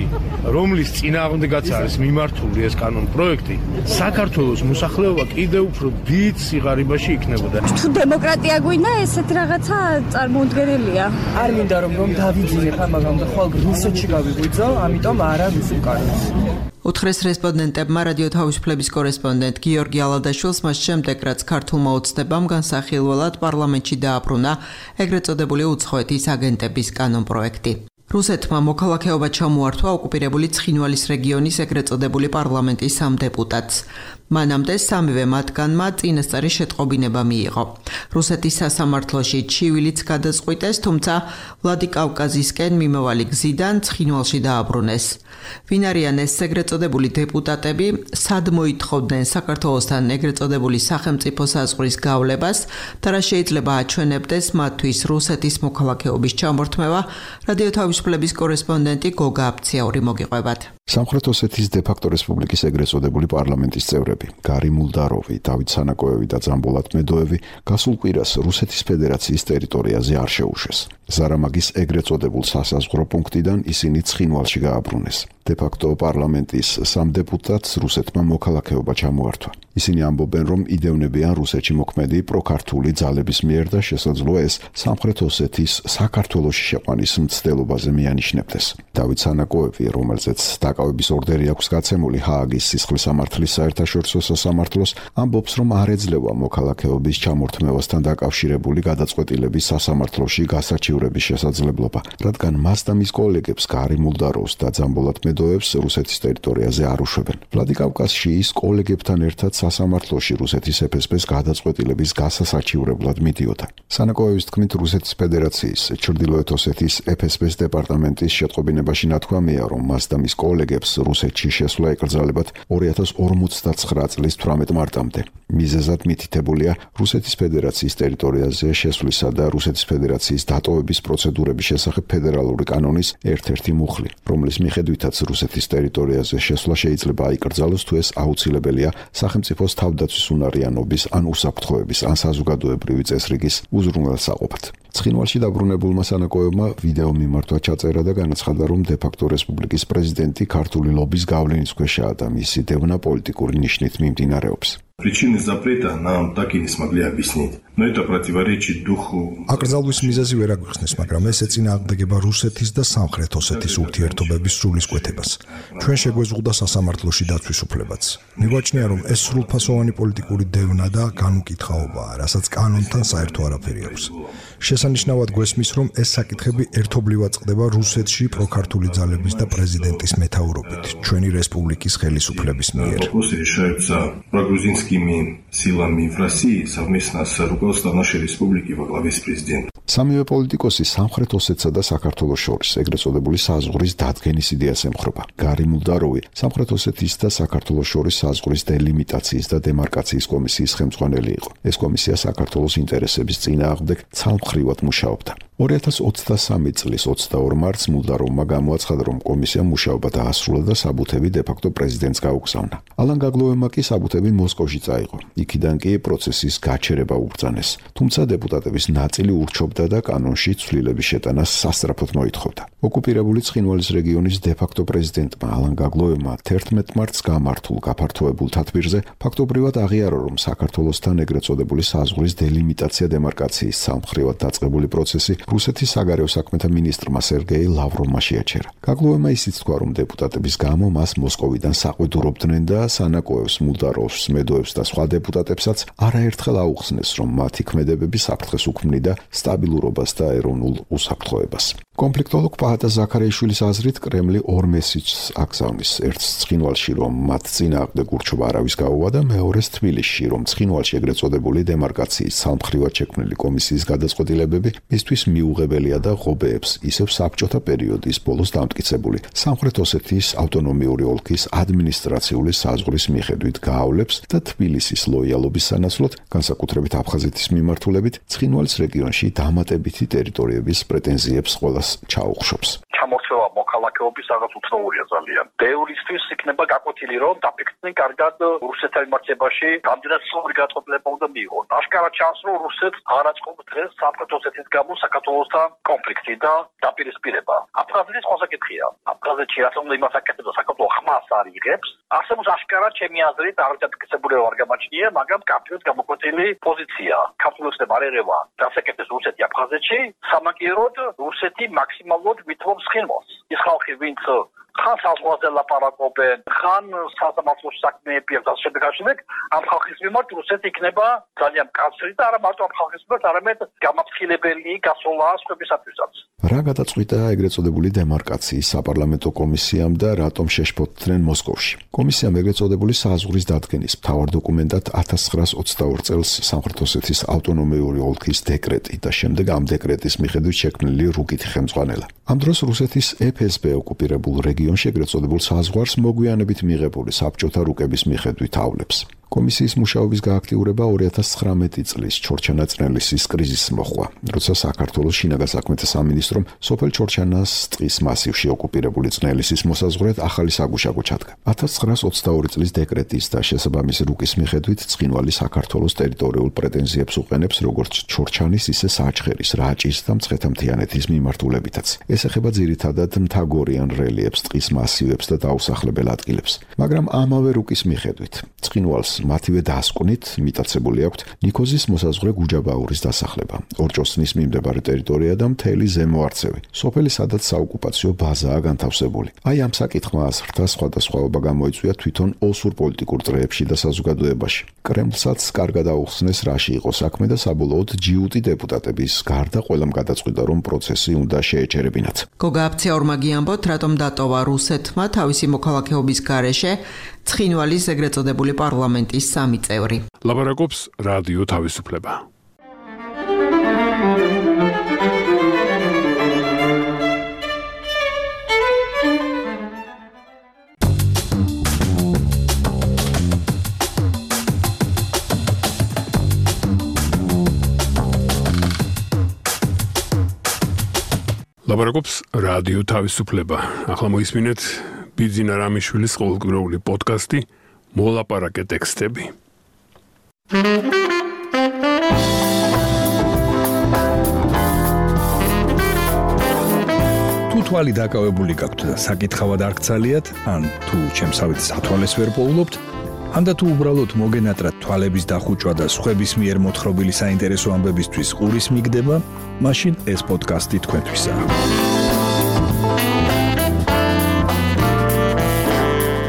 რომლის წინააღმდეგაც არის მიმართული ეს კანონპროექტი საქართველოს მოსახლეობა კიდევ უფრო დიდ სიღარიბაში იქნებოდა თუ დემოკრატია გვინდა ესეთი რაღაცა წარმოუდგენელია არ მინდა რომ რომ დავიძინებ ამაგამ და ხვალ რუსეთში გავიგვიძო ამიტომ არა რუსულ კანონს უთხრეს რესპონდენტებმა რადიო თავისუფლების კორესპონდენტ გიორგი ალადაშვილს მას შემდეგ რაც ქართულმა ოცნებამ განსახილველად პარლამენტში დააბრუნა ეგრეთ წოდებული უცხოეთის აგენტების კანონპროექტი რუსეთმა მოქალაქეობა ჩამოართვა ოკუპირებული ცხინვალის რეგიონის ეგრეთ წოდებული პარლამენტის სამ დეპუტატს. მანამდე სამივე მათგანმა წინასწარი შეტყობინება მიიღო. რუსეთის სასამართლოში ჩივილიც გადაწყვიტეს, თუმცა ვლადიკავკაზისკენ მიმავალი გზიდან ცხინვალში დააბრუნეს. ვინ არიან ეს ეგრეთ წოდებული დეპუტატები, სად მოითხოვდნენ საქართველოსთან ეგრეთ წოდებული სახელმწიფო საზღვრის გავლებას და რა შეიძლება აჩვენებდეს მათთვის რუსეთის მოქალაქეობის ჩამორთმევა, რადიო თავისუფლების კორესპონდენტი გოგა აფციაური მოგიყვებათ. სამხრეთ ოსეთის დე-ფაქტო რესპუბლიკის ეგრეთ წოდებული პარლამენტის წევრები გარი მულდაროვი, დავით სანაკოევი და ძამბულ ატმედოევი გასულ კვირას რუსეთის ფედერაციის ტერიტორიაზე არ შეუშვეს. ზარამაგის ეგრეთ წოდებულ სასაზღვრო პუნქტიდან ისინი ცხინვალში გააბრუნეს. დე-ფაქტო პარლამენტის სამ დეპუტატს რუსეთმა მოქალაქეობა ჩამოართვა. ისინი ამბობენ, რომ იდევნებიან რუსეთში მოქმედი პროქართული ძალების მიერ და შესაძლოა ეს სამხრეთ ოსეთის საქართველოში შეყვანის მცდელობაზე მიანიშნებდეს. დავით სანაკოევი, რომელზეც დაკავების ორდერი აქვს გაცემული ჰააგის სისხლის სამართლის საერთაშორისო სასამართლოს, ამბობს, რომ არ ეძლევა მოქალაქეობის ჩამორთმევასთან დაკავშირებული გადაწყვეტილების სასამართლოში გასაჩივრების შესაძლებლობა, რადგან მას და მის კოლეგებს გარი მულდაროვს და ძამბულ ატმედოევს რუსეთის ტერიტორიაზე არ უშვებენ. ვლადიკავკაზში ის კოლეგებთან ერთად სასამართლოში რუსეთის ეფ ეს პეს გადაწყვეტილების გასასაჩივრებლად მიდიოდა. სანაკოევის თქმით, რუსეთის ფედერაციის ჩრდილოეთ ოსეთის ეფ ეს პეს დეპარტამენტის შეტყობინებაში ნათქვამია, რომ მას და მის კოლეგებს რუსეთში შესვლა ეკრძალებათ ორი ათას ორმოცდაცხრა წლის თვრამეტ მარტამდე. მიზეზად მითითებულია რუსეთის ფედერაციის ტერიტორიაზე შესვლისა და რუსეთის ფედერაციის დატოვების პროცედურების შესახებ ფედერალური კანონის ერთ-ერთი მუხლი, რომლის მიხედვითაც რუსეთის ტერიტორიაზე შესვლა შეიძლება აიკრძალოს თუ ეს აუცილებელია სახელმწიფოს თავდაცვის უნარიანობის ან უსაფრთხოების ან საზოგადოებრივი წესრიგის უზრუნველსაყოფად. ცხინვალში დაბრუნებულმა სანაკოევმა ვიდეო მიმართვა ჩაწერა და განაცხადა, რომ დე-ფაქტო რესპუბლიკის პრეზიდენტი ქართული ლობის გავლენის ქვეშაა და მისი დევნა პოლიტიკური ნიშნით მიმდინარეობს. Причины запрета нам так и не смогли объяснить. Но это противоречит духу. აკრძალვის მიზეზი ვერ აგვიხსნეს, მაგრამ ეს ეწინააღმდეგება რუსეთის და სამხრეთ ოსეთის ურთიერთობების სულისკვეთებას. ჩვენ შეგვეზღუდა სასამართლოში დაცვის უფლებაც. მიგვაჩნია, რომ ეს სრულფასოვანი პოლიტიკური დევნა და განუკითხაობაა, რასაც კანონთან საერთო არაფერი აქვს. შესანიშნავად გვესმის, რომ ეს საკითხები ერთობლივად წყდება რუსეთში პროქართული ძალების და პრეზიდენტის მეთაურობით, ჩვენი რესპუბლიკის ხელისუფლების მიერ. Вопросы решаются прогрузинскими силами в России совместно с руководством нашей республики во главе с президентом. სამივე პოლიტიკოსი სამხრეთ ოსეთსა და საქართველოს შორის ეგრეთ წოდებული საზღვრის დადგენის იდეას ემხრობა. გარი მულდაროვი სამხრეთ ოსეთის და საქართველოს შორის საზღვრის დელიმიტაციის და დემარკაციის კომისიის ხელმძღვანელი იყო. ეს კომისია საქართველოს ინტერესების წინააღმდეგ ცალმხრივად მუშაობდა. ორი ათას ოცდასამი წლის ოცდაორ მარტს მულდაროვმა გამოაცხადა, რომ კომისიამ მუშაობა დაასრულა და საბუთები დე-ფაქტო პრეზიდენტს გაუგზავნა. ალან გაგლოევმა კი საბუთები მოსკოვში წაიღო. იქიდან კი პროცესის გაჩერება უბრძანეს. თუმცა დეპუტატების ნაწილი ურჩობდა და კანონში ცვლილების შეტანას სასწრაფოდ მოითხოვდა. ოკუპირებული ცხინვალის რეგიონის დე-ფაქტო პრეზიდენტმა ალან გაგლოევმა თერთმეტ მარტს გამართულ გაფართოებულ თათბირზე ფაქტობრივად აღიარა, რომ საქართველოსთან ეგრეთ წოდებული საზღვრის დელიმიტაცია დემარკაციის სამხრივად დაწყებული პროცესი რუსეთის საგარეო საქმეთა მინისტრმა სერგეი ლავროვმა შეაჩერა. გაგლოევმა ისიც თქვა, რომ დეპუტატების გამო მას მოსკოვიდან საყვედურობდნენ და სანაკოევს, მულდაროვს, მედოევს და სხვა დეპუტატებსაც არაერთხელ აუხსნეს, რომ მათი ქმედებები საფრთხეს უქმნიდა სტაბილურობას და ეროვნულ უსაფრთხოებას. კონფლიქტოლოგ პაჰატა ზაქარიაშვილის აზრით, კრემლი ორ მესიჯს აგზავნის. ერთს ცხინვალში, რომ მათ წინააღმდეგ ურჩობა არავის გაუვა და მეორეს თბილისში, რომ ცხინვალში ეგრეთ წოდებული დემარკაციის სამხრივად შექმნილი კომისიის გადაწყვეტილებები მისთვის მიუღებელია და ღობეებს ისევ საბჭოთა პერიოდის ბოლოს დამტკიცებული სამხრეთ ოსეთის ავტონომიური ოლქის ადმინისტრაციული საზღვრის მიხედვით გაავლებს და თბილისის ლოიალობის სანაცვლოდ, განსაკუთრებით აფხაზეთის მიმართულებით, ცხინვალის რეგიონში დამატებითი ტერიტორიების პრეტენზიებს ყველას ჩაუხშობს. ჩამორჩება მოქალაქეობის რაღაც უცნაურია ძალიან. ბევრისთვის იქნება გაკვეთილი, რომ დაფიქრდნენ კარგად რუსეთთან მიმართებაში რამდენად სწორი გადაწყვეტილება უნდა მიიღონ. აშკარად ჩანს, რომ რუსეთს არ აწყობს დღეს სამხრეთ ოსეთის გამო საქართველოსთან კონფლიქტი და დაპირისპირება. აფხაზეთის სხვა საკითხია. აფხაზეთში რაც უნდა იმას აკეთებს და საქართველო ხმას არ იღებს, არსებობს აშკარად ჩემი აზრით არ დაფიქსებული არ გამაჩნია, მაგრამ კაფეოდ გამოკვეთილი პოზიცია. ქართულოსნებ არ ერევა დასაკეთებს რუსეთი აფხაზეთში, სამაგიეროდ რუსეთი მაქსიმალურად ვითხოვს ცხინვალს. ის ხალხი, ვინც ხან საზღვარზე ლაპარაკობენ, ხან სასამართლოში საქმეები აქვს და შემდეგ ამ ხალხის მიმართ რუსეთი იქნება ძალიან მკაცრი და არა მარტო ამ ხალხის მიმართ, არამედ გამაფრთხილებელი გასვლა სხვებისათვისაც. რა გადაწყვიტა ეგრეთ წოდებული დემარკაციის საპარლამენტო კომისიამ და რატომ შეშფოთდნენ მოსკოვში? კომისიამ ეგრეთ წოდებული საზღვრის დადგენის მთავარ დოკუმენტად ათას ცხრაას ოცდაორ წელს სამხრეთ ოსეთის ავტონომიური ოლქის დეკრეტი და შემდეგ ამ დეკრეტის მიხედვით შექმნილი რუკითი ხელმძღვანელა. ამ დროს რუსეთის ეფ ეს პე ოკუპირებულ რეგიონში ეგრეთ წოდებულ საზღვარს მოგვიანებით მიღებული საბჭოთა რუკების მიხედვით ავლებს. კომისიის მუშაობის გააქტიურება ორი ათას ცხრამეტი წლის ჩორჩანა-წნელისის კრიზისს მოჰყვა, როცა საქართველოს შინაგან საქმეთა სამინისტრომ სოფელ ჩორჩანას ტყის მასივში ოკუპირებული წნელისის მოსაზღვრედ ახალი საგუშაგო ჩადგა. ათას ცხრაას ოცდაორი წლის დეკრეტის და შესაბამისი რუკის მიხედვით ცხინვალი საქართველოს ტერიტორიულ პრეტენზიებს უყენებს როგორც ჩორჩანის, ისე საჩხერის, რაჭის და მცხეთა-მთიანეთის მიმართულებითაც. ეს ეხება ძირითადად მთაგორიან რელიეფს, ტყის მასივებს და დაუსახლებელ ადგილებს. მაგრამ ამავე რუკის მიხედვით ცხინვალს მათივე დასკვნით მიტაცებული აქვთ ნიქოზის მოსაზღვრე გუჯაბაურის დასახლება, ორჭოსნის მიმდებარე ტერიტორია და მთელი ზემო არცევი, სოფელი სადაც საოკუპაციო ბაზაა განთავსებული. აი ამ საკითხმა აზრთა სხვადასხვაობა გამოიწვია თვითონ ოსურ პოლიტიკურ წრეებში და საზოგადოებაში. კრემლსაც კარგად აუხსნეს რაში იყო საქმე და საბოლოოდ ჯიუტი დეპუტატების გარდა ყველამ გადაწყვიტა რომ პროცესი უნდა შეეჩერებინათ. გოგა აფციაურმა გიამბოთ, რატომ დატოვა რუსეთმა თავისი მოქალაქეობის გარეშე ცხინვალის ეგრეთ წოდებული პარლამენტის სამი წევრი. ლაბარაკობს რადიო თავისუფლება. ლაბარაკობს რადიო თავისუფლება. ახლა მოისმინეთ ბიძინა რამიშვილის ყოველკვირეული პოდკასტი მოლაპარაკე ტექსტები. თუ თვალი დაკავებული გაქვთ და საკითხავად არ გცალიათ, ან თუ ჩემსავით სათვალეს ვერ პოულობთ, ან და თუ უბრალოდ მოგენატრათ თვალების დახუჭვა და სხვების მიერ მოთხრობილი საინტერესო ამბებისთვის ყურის მიგდება, მაშინ ეს პოდკასტი თქვენთვისაა.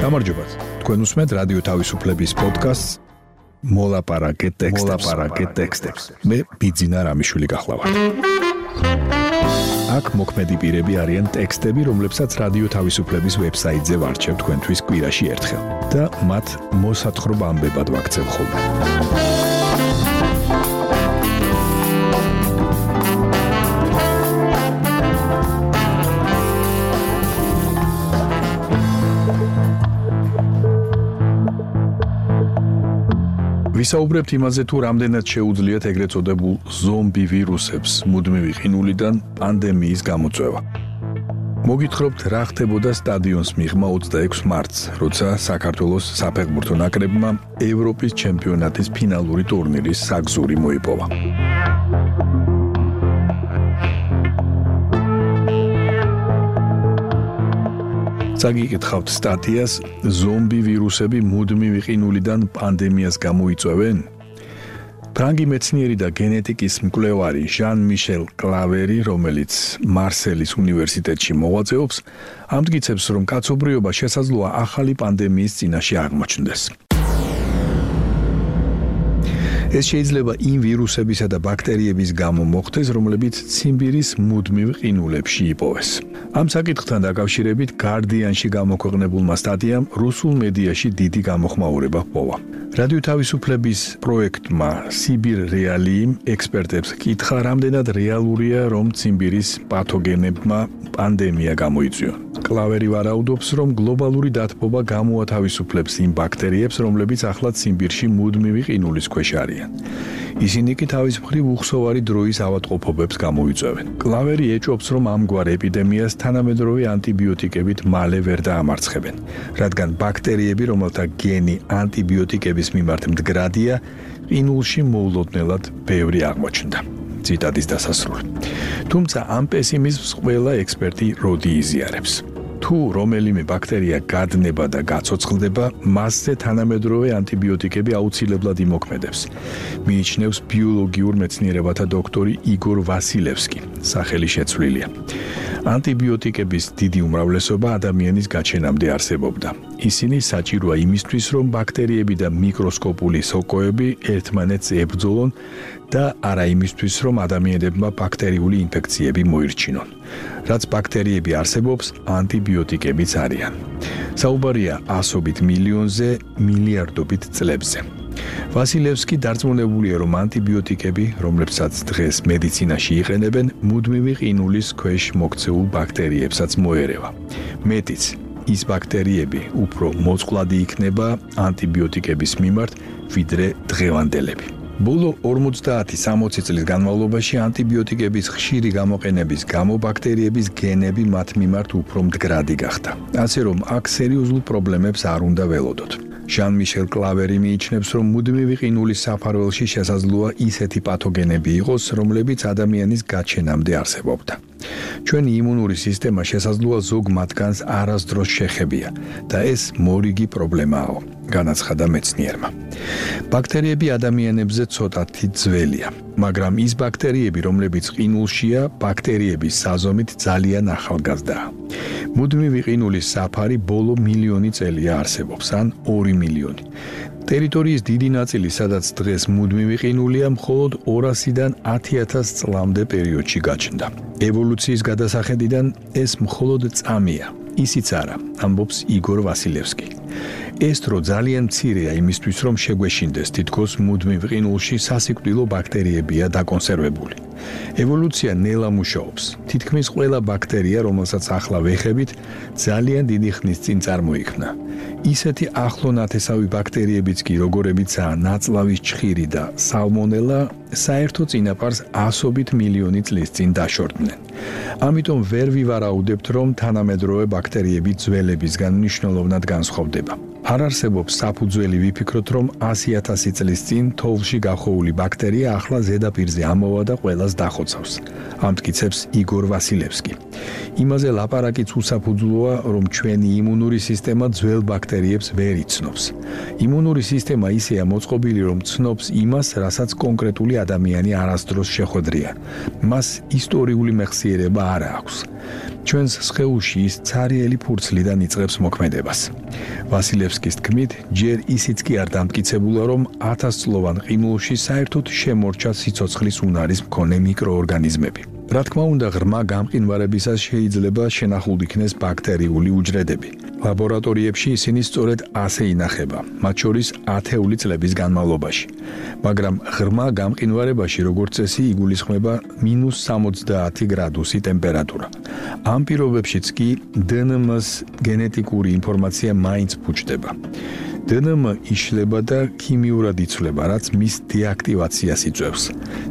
გამარჯობათ. თქვენ უსმენთ რადიო თავისუფლების პოდკასტს მოლაპარაკე ტექსტებს. მოლაპარაკე ტექსტებს. მე ბიძინა რამიშვილი გახლავართ. აქ მოქმედი პირები არიან ტექსტები, რომლებსაც რადიო თავისუფლების ვებსაიტზე ვარჩევ თქვენთვის კვირაში ერთხელ და მათ მოსათხრობ ამბებად ვაქცევ ხოლმე. ვისაუბრებთ იმაზე, თუ რამდენად შეუძლიათ ეგრეთ წოდებულ ზომბი ვირუსებს მუდმივი ყინულიდან პანდემიის გამოწვევა. მოგითხრობთ, რა ხდებოდა სტადიონს მიღმა ოცდაექვსი მარტს, როცა საქართველოს საფეხბურთო ნაკრებმა ევროპის ჩემპიონატის ფინალური ტურნირის საგზური მოიპოვა. საგიკითხავთ სტატიას ზომბი ვირუსები მუდმივი ყინულიდან პანდემიას გამოიწვევენ? ფრანგი მეცნიერი და გენეტიკის მკვლევარი ჟან-მიშელ კლავერი, რომელიც მარსელის უნივერსიტეტში მოღვაწეობს, ამტკიცებს, რომ კაცობრიობა შესაძლოა ახალი პანდემიის წინაშე აღმოჩნდეს. ეს შეიძლება იმ ვირუსებისა და ბაქტერიების გამო მოხდეს, რომლებიც ციმბირის მუდმივ ყინულებში იპოვეს. ამ საკითხთან დაკავშირებით Guardian-ში გამოქვეყნებულმა სტატიამ რუსულ მედიაში დიდი გამოხმაურება ჰპოვა. რადიო თავისუფლების პროექტმა Sibir Realim ექსპერტებს კითხა, რამდენად რეალურია, რომ ციმბირის პათოგენებმა პანდემია გამოიწვიონ. კლავერი ვარაუდობს, რომ გლობალური დათბობა გამოათავისუფლებს იმ ბაქტერიებს, რომლებიც ახლა ციმბირში მუდმივი ყინულის ქვეშ არიან. ისინი კი თავის მხრივ უხსოვარი დროის ავადმყოფობებს გამოიწვევენ. კლავერი ეჭვობს, რომ ამგვარ ეპიდემიას თანამედროვე ანტიბიოტიკებით მალე ვერ დაამარცხებენ, რადგან ბაქტერიები, რომელთა გენი ანტიბიოტიკების მიმართ მდგრადია, ყინულში მოულოდნელად ბევრი აღმოჩნდა. ციტატის დასასრული. თუმცა ამ პესიმიზმს ყველა ექსპერტი როდი იზიარებს. თუ რომელიმე ბაქტერია გადნება და გაცოცხლდება, მასზე თანამედროვე ანტიბიოტიკები აუცილებლად იმოქმედებს. მიიჩნევს ბიოლოგიურ მეცნიერებათა დოქტორი იგორ ვასილევსკი, სახელი შეცვლილია. ანტიბიოტიკების დიდი უმრავლესობა ადამიანის გაჩენამდე არსებობდა. ისინი საჭიროა იმისთვის, რომ ბაქტერიები და მიკროსკოპული სოკოები ერთმანეთს ებრძოლონ და არა იმისთვის, რომ ადამიანებმა ბაქტერიული ინფექციები მოირჩინონ. რაც ბაქტერიები არსებობს, ანტიბიოტიკებიც არიან. საუბარია ასობით მილიონზე, მილიარდობით წლებზე. ვასილევსკი დარწმუნებულია, რომ ანტიბიოტიკები, რომლებსაც დღეს მედიცინაში იყენებენ, მუდმივი ყინულის ქვეშ მოქცეულ ბაქტერიებსაც მოერევა. მეტიც, ის ბაქტერიები უფრო მოწყვლადი იქნება ანტიბიოტიკების მიმართ, ვიდრე დღევანდელები. ბოლო ორმოცდაათი-სამოცი წლის განმავლობაში ანტიბიოტიკების ხშირი გამოყენების გამო ბაქტერიების გენები მათ მიმართ უფრო მდგრადი გახდა. ასე რომ აქ სერიოზულ პრობლემებს არ უნდა ველოდოთ. ჟან-მიშელ კლავერი მიიჩნევს, რომ მუდმივი ყინულის საფარველში შესაძლოა ისეთი პათოგენები იყოს, რომლებიც ადამიანის გაჩენამდე არსებობდა. ჩვენი იმუნური სისტემა შესაძლოა ზოგ მათგანს არასდროს შეხებია და ეს მორიგი პრობლემაა, განაცხადა მეცნიერმა. ბაქტერიები ადამიანებზე ცოტათი ძველია, მაგრამ ის ბაქტერიები, რომლებიც ყინულშია, ბაქტერიების საზომით ძალიან ახალგაზრდაა. მუდმივი ყინულის საფარი ბოლო მილიონი წელია არსებობს, ან ორი მილიონი. ტერიტორიის დიდი ნაწილი, სადაც დღეს მუდმივი ყინულია, მხოლოდ ორასიდან ათი ათას წლამდე პერიოდში გაჩნდა. ევოლუციის გადასახედიდან ეს მხოლოდ წამია, ისიც არა, ამბობს იგორ ვასილევსკი. ეს დრო ძალიან მცირეა იმისთვის, რომ შეგვეშინდეს, თითქოს მუდმივ ყინულში სასიკვდილო ბაქტერიებია დაკონსერვებული. ევოლუცია ნელა მუშაობს. თითქმის ყველა ბაქტერია, რომელსაც ახლა ვეხებით, ძალიან დიდი ხნის წინ წარმოიქმნა. ისეთი ახლო ნათესავი ბაქტერიებიც კი, როგორებიცაა ნაწლავის ჩხირი და სალმონელა, საერთო წინაპარს ასობით მილიონი წლის წინ დაშორდნენ. ამიტომ ვერ ვივარაუდებთ, რომ თანამედროვე ბაქტერიები ძველებისგან მნიშვნელოვნად განსხვავდება. არ არსებობს საფუძველი ვიფიქროთ, რომ ასი ათასი წლის წინ თოვლში გახოვული ბაქტერია ახლა ზედაპირზე ამოვა და ყველას დახოცავს. ამტკიცებს იგორ ვასილევსკი. იმაზე ლაპარაკიც უსაფუძვლოა, რომ ჩვენი იმუნური სისტემა ძველ ბაქტერიებს ვერ იცნობს. იმუნური სისტემა ისეა მოწყობილი, რომ ცნობს იმას, რასაც კონკრეტული ადამიანი არასდროს შეხვედრია. მას ისტორიული მეხსიერება არ აქვს. ჩვენს სხეულში ის ცარიელი ფურცლიდან იწყებს მოქმედებას. ვასილევსკის თქმით, ჯერ ისიც კი არ დამტკიცებულა, რომ ათასწლოვან ყინულში საერთოდ შემორჩა სიცოცხლის უნარის მქონე მიკროორგანიზმები. რა თქმა უნდა, ღრმა გამყინვარებისას შეიძლება შენახულ იქნეს ბაქტერიული უჯრედები. ლაბორატორიებში ისინი სწორედ ასე ინახება, მათ შორის ათეული წლების განმავლობაში. მაგრამ ღრმა გამყინვარებაში, როგორც წესი, იგულისხმება მინუს სამოცდაათი გრადუსი ტემპერატურა. ამ პირობებშიც კი დე ენ ემ-ს გენეტიკური ინფორმაცია მაინც ფუჭდება. დე ენ ემ იშლება და ქიმიურად იცვლება, რაც მის დეაქტივაციას იწვევს.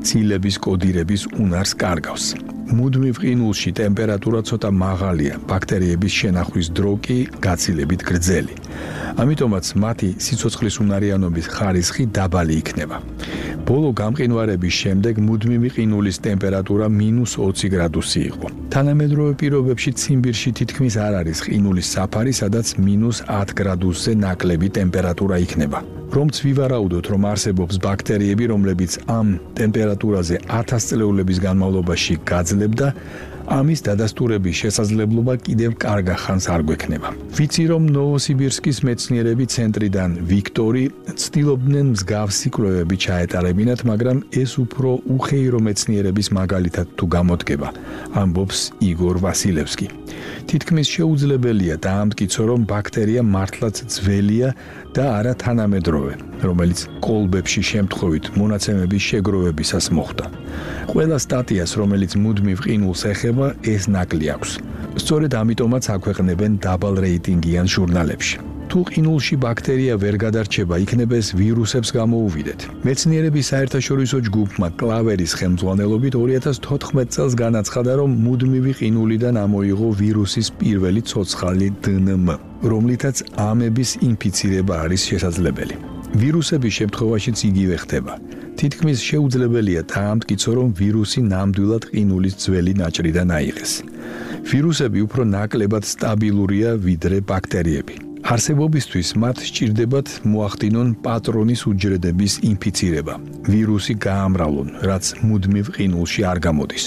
ცილების კოდირების უნარს კარგავს. მუდმივ ყინულში ტემპერატურა ცოტა მაღალია, ბაქტერიების შენახვის დრო კი გაცილებით გრძელი. ამიტომაც მათი სიცოცხლის უნარიანობის ხარისხი დაბალი იქნება. ბოლო გამყინვარების შემდეგ მუდმივი ყინულის ტემპერატურა მინუს ოცი გრადუსი იყო. თანამედროვე პირობებში ციმბირში თითქმის არ არის ყინულის საფარი, სადაც მინუს ათ გრადუსზე ნაკლები ტემპერატურა იქნება. რომც ვივარაუდოთ, რომ არსებობს ბაქტერიები, რომლებიც ამ ტემპერატურაზე ათას წლეულების განმავლობაში გაძლებდა, ამის დადასტურების შესაძლებლობა კიდევ კარგა ხანს არ გვექნება. ვიცი, რომ ნოვოსიბირსკის მეცნიერები ცენტრიდან ვიქტორი ცდილობდნენ მსგავსი კვლევები ჩაეტარებინათ, მაგრამ ეს უფრო უხეირო მეცნიერების მაგალითად თუ გამოდგება, ამბობს იგორ ვასილევსკი. თითქმის შეუძლებელია დაამტკიცო, რომ ბაქტერია მართლაც ძველია და არა თანამედროვე, რომელიც კოლბებში შემთხვევით მონაცემების შეგროვებისას მოხდა. ყველა სტატიას, რომელიც მუდმივ ყინულს ეხება, ეს ნაკლი აქვს. სწორედ ამიტომაც აქვეყნებენ დაბალ რეიტინგიან ჟურნალებში. თუ ყინულში ბაქტერია ვერ გადარჩება, იქნება ეს ვირუსებს გამოუვიდეთ. მეცნიერების საერთაშორისო ჯგუფმა კლავერის ხელმძღვანელობით ორი ათას თოთხმეტ წელს განაცხადა, რომ მუდმივი ყინულიდან ამოიღო ვირუსის პირველი ცოცხალი დე ენ ემ, რომლითაც ამების ინფიცირება არის შესაძლებელი. ვირუსების შემთხვევაშიც იგივე ხდება. თითქმის შეუძლებელია დაამტკიცო, რომ ვირუსი ნამდვილად ყინულის ძველი ნაჭრიდან აიღეს. ვირუსები უფრო ნაკლებად სტაბილურია, ვიდრე ბაქტერიები. არსებობისთვის მათ სჭირდებათ მოახდინონ პატრონის უჯრედების ინფიცირება, ვირუსი გაამრავლონ, რაც მუდმივ ყინულში არ გამოდის.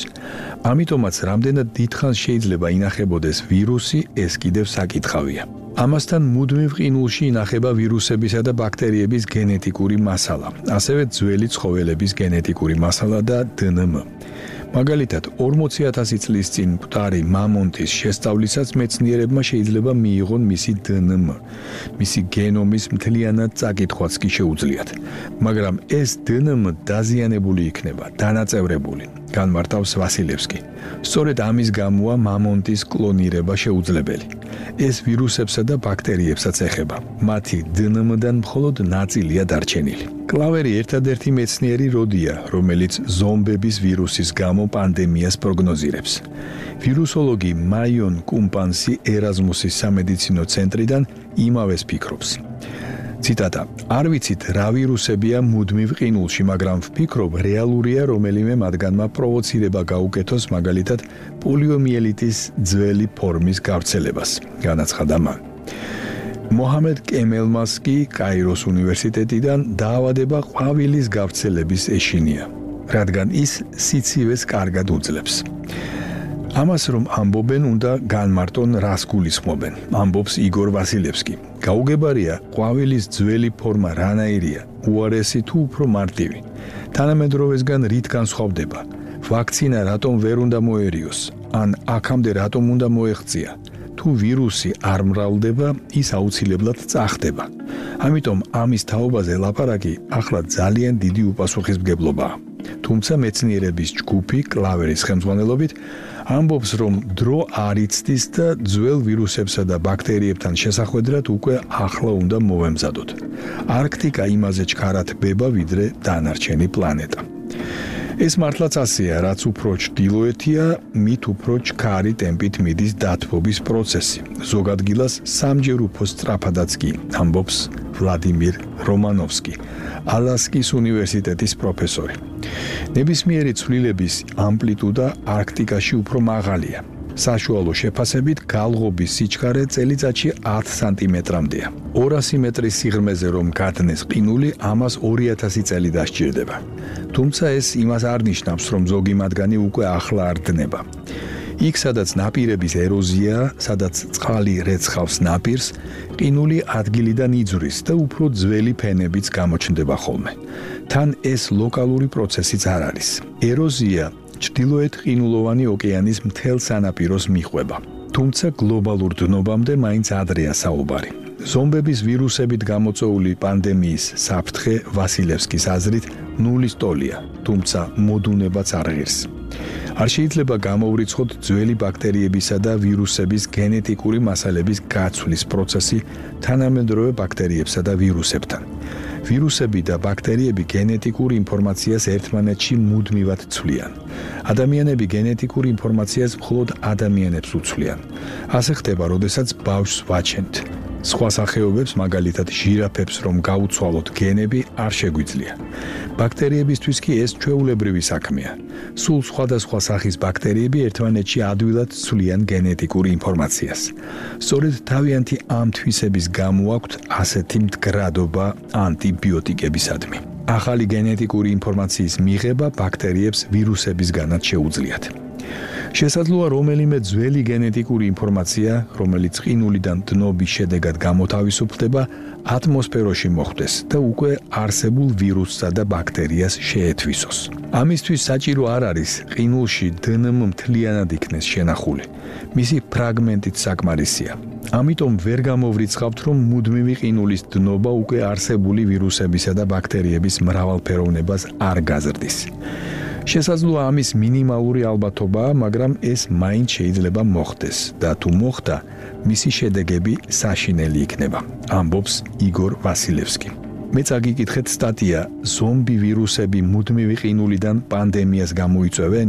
ამიტომაც, რამდენად დიდხანს შეიძლება ინახებოდეს ვირუსი, ეს კიდევ საკითხავია. ამასთან მუდმივ ყინულში ინახება ვირუსებისა და ბაქტერიების გენეტიკური მასალა, ასევე ძველი ცხოველების გენეტიკური მასალა და დე ენ ემ. მაგალითად, ორმოცი ათასი წლის წინ მკვდარი მამონტის შესწავლისას მეცნიერებმა შეიძლება მიიღონ მისი დე ენ ემ. მისი გენომის მთლიანად წაკითხვაც კი შეუძლიათ. მაგრამ ეს დე ენ ემ დაზიანებული იქნება, დანაწევრებული. განმარტავს ვასილევსკი. სწორედ ამის გამოა მამონტის კლონირება შეუძლებელი. ეს ვირუსებსა და ბაქტერიებსაც ეხება. მათი დე ენ ემ-დან მხოლოდ ნაწილია დარჩენილი. კლავერი ერთადერთი მეცნიერი როდია, რომელიც ზომბების ვირუსის გამო პანდემიას პროგნოზირებს. ვირუსოლოგი მაიონ კუმპანსი ერაზმუსის სამედიცინო ცენტრიდან იმავეს ფიქრობს. ციტატა: არ ვიცით რა ვირუსებია მუდმივ ყინულში, მაგრამ ვფიქრობ, რეალურია რომელიმე მათგანმა პროვოცირება გაუკეთოს მაგალითად პოლიომიელიტის ძველი ფორმის გავრცელებას, განაცხადა მან. მოჰამედ კემელმას კი კაიროს უნივერსიტეტიდან დაავადება ყვავილის გავრცელების ეშინია, რადგან ის სიცივეს კარგად უძლებს. ამას რომ ამბობენ, უნდა განმარტონ რას გულისხმობენ, ამბობს იგორ ვასილევსკი. გაუგებარია, ყვავილის ძველი ფორმა რანაირია, უარესი თუ უფრო მარტივი. თანამედროვესგან რით განსხვავდება? ვაქცინა რატომ ვერ უნდა მოერიოს? ან აქამდე რატომ უნდა მოეღწია? თუ ვირუსი არ მრავლდება, ის აუცილებლად წახდება. ამიტომ ამის თაობაზე ლაპარაკი ახლა ძალიან დიდი უპასუხისმგებლობაა. თუმცა მეცნიერების ჯგუფი კლავერის ხელმძღვანელობით ამბობს, რომ დრო არ იცდის და ძველ ვირუსებსა და ბაქტერიებთან შესახვედრად უკვე ახლა უნდა მოვემზადოთ. არქტიკა იმაზე ჩქარად ბება, ვიდრე დანარჩენი პლანეტა. ეს მართლაც ასეა, რაც უფრო ჩრდილოეთია, მით უფრო ჩქარი ტემპით მიდის დათბობის პროცესი. ზოგ ადგილას სამჯერ უფრო სწრაფადაც კი, ამბობს ვლადიმირ რომანოვსკი, ალასკის უნივერსიტეტის პროფესორი. ნებისმიერი ცვლილების ამპლიტუდა არქტიკაში უფრო მაღალია. საშუალო შეფასებით გალღობის სიჩქარე წელიწადში ათი სანტიმეტრამდეა. ორასი მეტრის სიღრმეზე რომ გადნეს ყინული, ამას ორი ათასი წელი დასჭირდება. თუმცა ეს იმას არ ნიშნავს, რომ ზოგი მათგანი უკვე ახლა არ დნება. იქ, სადაც ნაპირების ეროზია, სადაც წყალი რეცხავს ნაპირს, ყინული ადგილიდან იძვრის და უფრო ძველი ფენებიც გამოჩნდება ხოლმე. თან ეს ლოკალური პროცესიც არ არის. ეროზია ჩრდილოეთ ყინულოვანი ოკეანის მთელ სანაპიროს მიყვება. თუმცა გლობალურ დნობამდე მაინც ადრეა საუბარი. ზომბების ვირუსებით გამოწვეული პანდემიის საფრთხე ვასილევსკის აზრით ნულის ტოლია, თუმცა მოდუნებაც არ ღირს. არ შეიძლება გამოვრიცხოთ ძველი ბაქტერიებისა და ვირუსების გენეტიკური მასალების გაცვლის პროცესი თანამედროვე ბაქტერიებსა და ვირუსებთან. ვირუსები და ბაქტერიები გენეტიკურ ინფორმაციას ერთმანეთში მუდმივად ცვლიან. ადამიანები გენეტიკურ ინფორმაციას მხოლოდ ადამიანებს უცვლიან. ასე ხდება, როდესაც ბავშვს ვაჩენთ. სხვა სახეობებს, მაგალითად ჟირაფებს, რომ გაუცვალოთ გენები, არ შეგვიძლია. ბაქტერიებისთვის კი ეს ჩვეულებრივი საქმეა. სულ სხვადასხვა სახის ბაქტერიები ერთმანეთში ადვილად ცვლიან გენეტიკურ ინფორმაციას. სწორედ თავიანთი ამ თვისების გამო აქვთ ასეთი მდგრადობა ანტიბიოტიკებისადმი. ახალი გენეტიკური ინფორმაციის მიღება ბაქტერიებს ვირუსებისგანაც შეუძლიათ. შესაძლოა რომელიმე ძველი გენეტიკური ინფორმაცია, რომელიც ყინულიდან დნობის შედეგად გამოთავისუფლდება, ატმოსფეროში მოხვდეს და უკვე არსებულ ვირუსსა და ბაქტერიას შეეთვისოს. ამისთვის საჭირო არ არის ყინულში დე ენ ემ მთლიანად იქნეს შენახული. მისი ფრაგმენტით საკმარისია. ამიტომ ვერ გამოვრიცხავთ, რომ მუდმივი ყინულის დნობა უკვე არსებული ვირუსებისა და ბაქტერიების მრავალფეროვნებას არ გაზრდის. შესაძლოა ამის მინიმალური ალბათობაა, მაგრამ ეს მაინც შეიძლება მოხდეს და თუ მოხდა, მისი შედეგები საშინელი იქნება, ამბობს იგორ ვასილევსკი. მეც აგიკითხეთ სტატია ზომბი ვირუსები მუდმივი ყინულიდან პანდემიას გამოიწვევენ?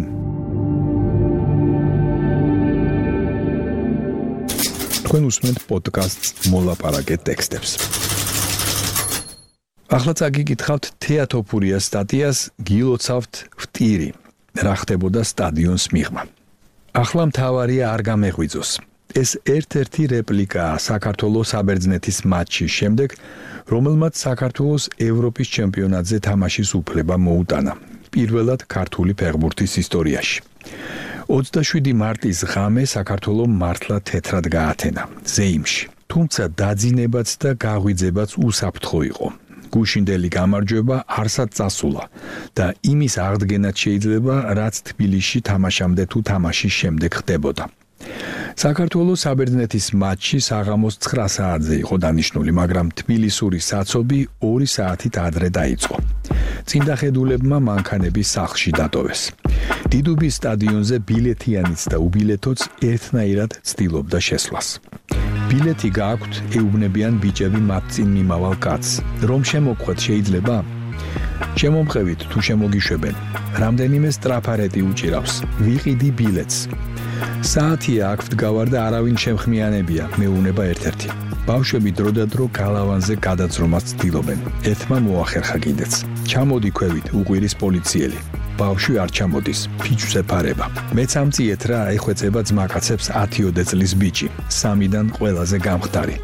თქვენ უსმენთ პოდკასტს მოლაპარაკე ტექსტებს. ახლა წაგიკითხავთ თეატოფურიას სტატიას გილოცავთ ვტირი, რა ხდებოდა სტადიონს მიღმა. ახლა მთავარია არ გამეღვიძოს. ეს ერთ-ერთი რეპლიკაა საქართველოს საბერძნეთის მატჩის შემდეგ, რომელმაც საქართველოს ევროპის ჩემპიონატზე თამაშის უფლება მოუტანა, პირველად ქართული ფეხბურთის ისტორიაში. ოცდაშვიდი მარტის ღამე საქართველომ მართლა თეთრად გაათენა ზეიმში, თუმცა დაძინებაც და გაღვიძებაც უსაფრთხო იყო. გუშინდელი გამარჯვება არსად წასულა და იმის აღდგენაც შეიძლება, რაც თბილისში თამაშამდე თუ თამაშის შემდეგ ხდებოდა. საქართველოს საბერძნეთის მატჩი საღამოს ცხრა საათზე იყო დანიშნული, მაგრამ თბილისური საცობი ორი საათით ადრე დაიწყო. წინდახედულებმა მანქანები სახლში დატოვეს. დიდუბის სტადიონზე ბილეთიანიც და უბილეთოც ერთნაირად ცდილობდა შესვლას. ბილეთი გააქვთ, ეუბნებიან ბიჭები მათ წინ მიმავალ კაცს. რომ შემოგხვეთ შეიძლება? შემომყევით თუ შემოგიშვებენ. რამდენიმე სტრაფარეტი უჭირავს. ვიყიდი ბილეთს. საათია აქ ვდგავარ და არავინ შემხმიანებია, მეუნება ერთ-ერთი. ბავშვები დროდადრო გალავანზე გადაძრომას ცდილობენ. ერთმა მოახერხა კიდეც. ჩამოდი ქვევით, უყვირის პოლიციელი. ბავშვი არ ჩამოდის, ფიჭვს ეფარება. მეც ამწიეთ რა, ეხვეწება ძმაკაცებს ათიოდე წლის ბიჭი, სამიდან ყველაზე გამხდარი.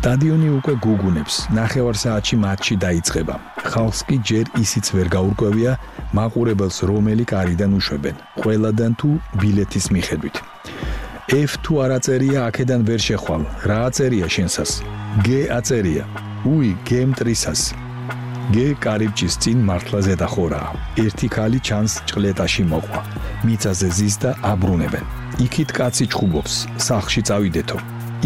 სტადიონი უკვე გუგუნებს, ნახევარ საათში მატჩი დაიწყება. ხალხს კი ჯერ ისიც ვერ გაურკვევია, მაყურებელს რომელი კარიდან უშვებენ, ყველადან თუ ბილეთის მიხედვით. F თუ არ აწერია, აქედან ვერ შეხვალ. რა აწერია შენსას? G აწერია. უი, G მტრისას. G კარიბჭის წინ მართლა ზედახორაა. ერთი ქალი ჩანს ჭყლეტაში მოყვა. მიწაზე ზის და აბრუნებენ. იქით კაცი ჩხუბობს, სახლში წავიდეთო.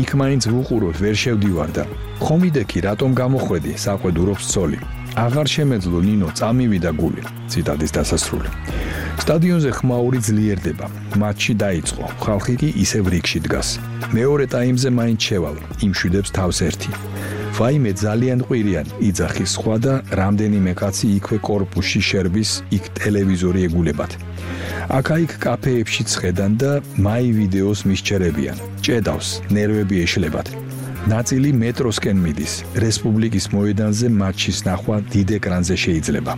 იქ მაინც ვუყუროთ, ვერ შევდივარ და ხომ იდექი, რატომ გამოხვედი, საყვედურობს ცოლი. აღარ შემეძლო ნინო, წამივიდა გული. ციტატის დასასრული. სტადიონზე ხმაური ძლიერდება. მატჩი დაიწყო. ხალხი კი ისევ რიგში დგას. მეორე ტაიმზე მაინც შევალ, იმშვიდებს თავს ერთი. ვაიმე ძალიან ყვირიან, იძახის სხვა და რამდენიმე კაცი იქვე კორპუსში შერბის, იქ ტელევიზორი ეგულებათ. აქა-იქ კაფეებში ცხედან და მაი ვიდეოს მისჩერებიან. ჭედავს, ნერვები ეშლებათ. ნაწილი მეტროსკენ მიდის. რესპუბლიკის მოედანზე მატჩის ნახვა დიდ ეკრანზე შეიძლება.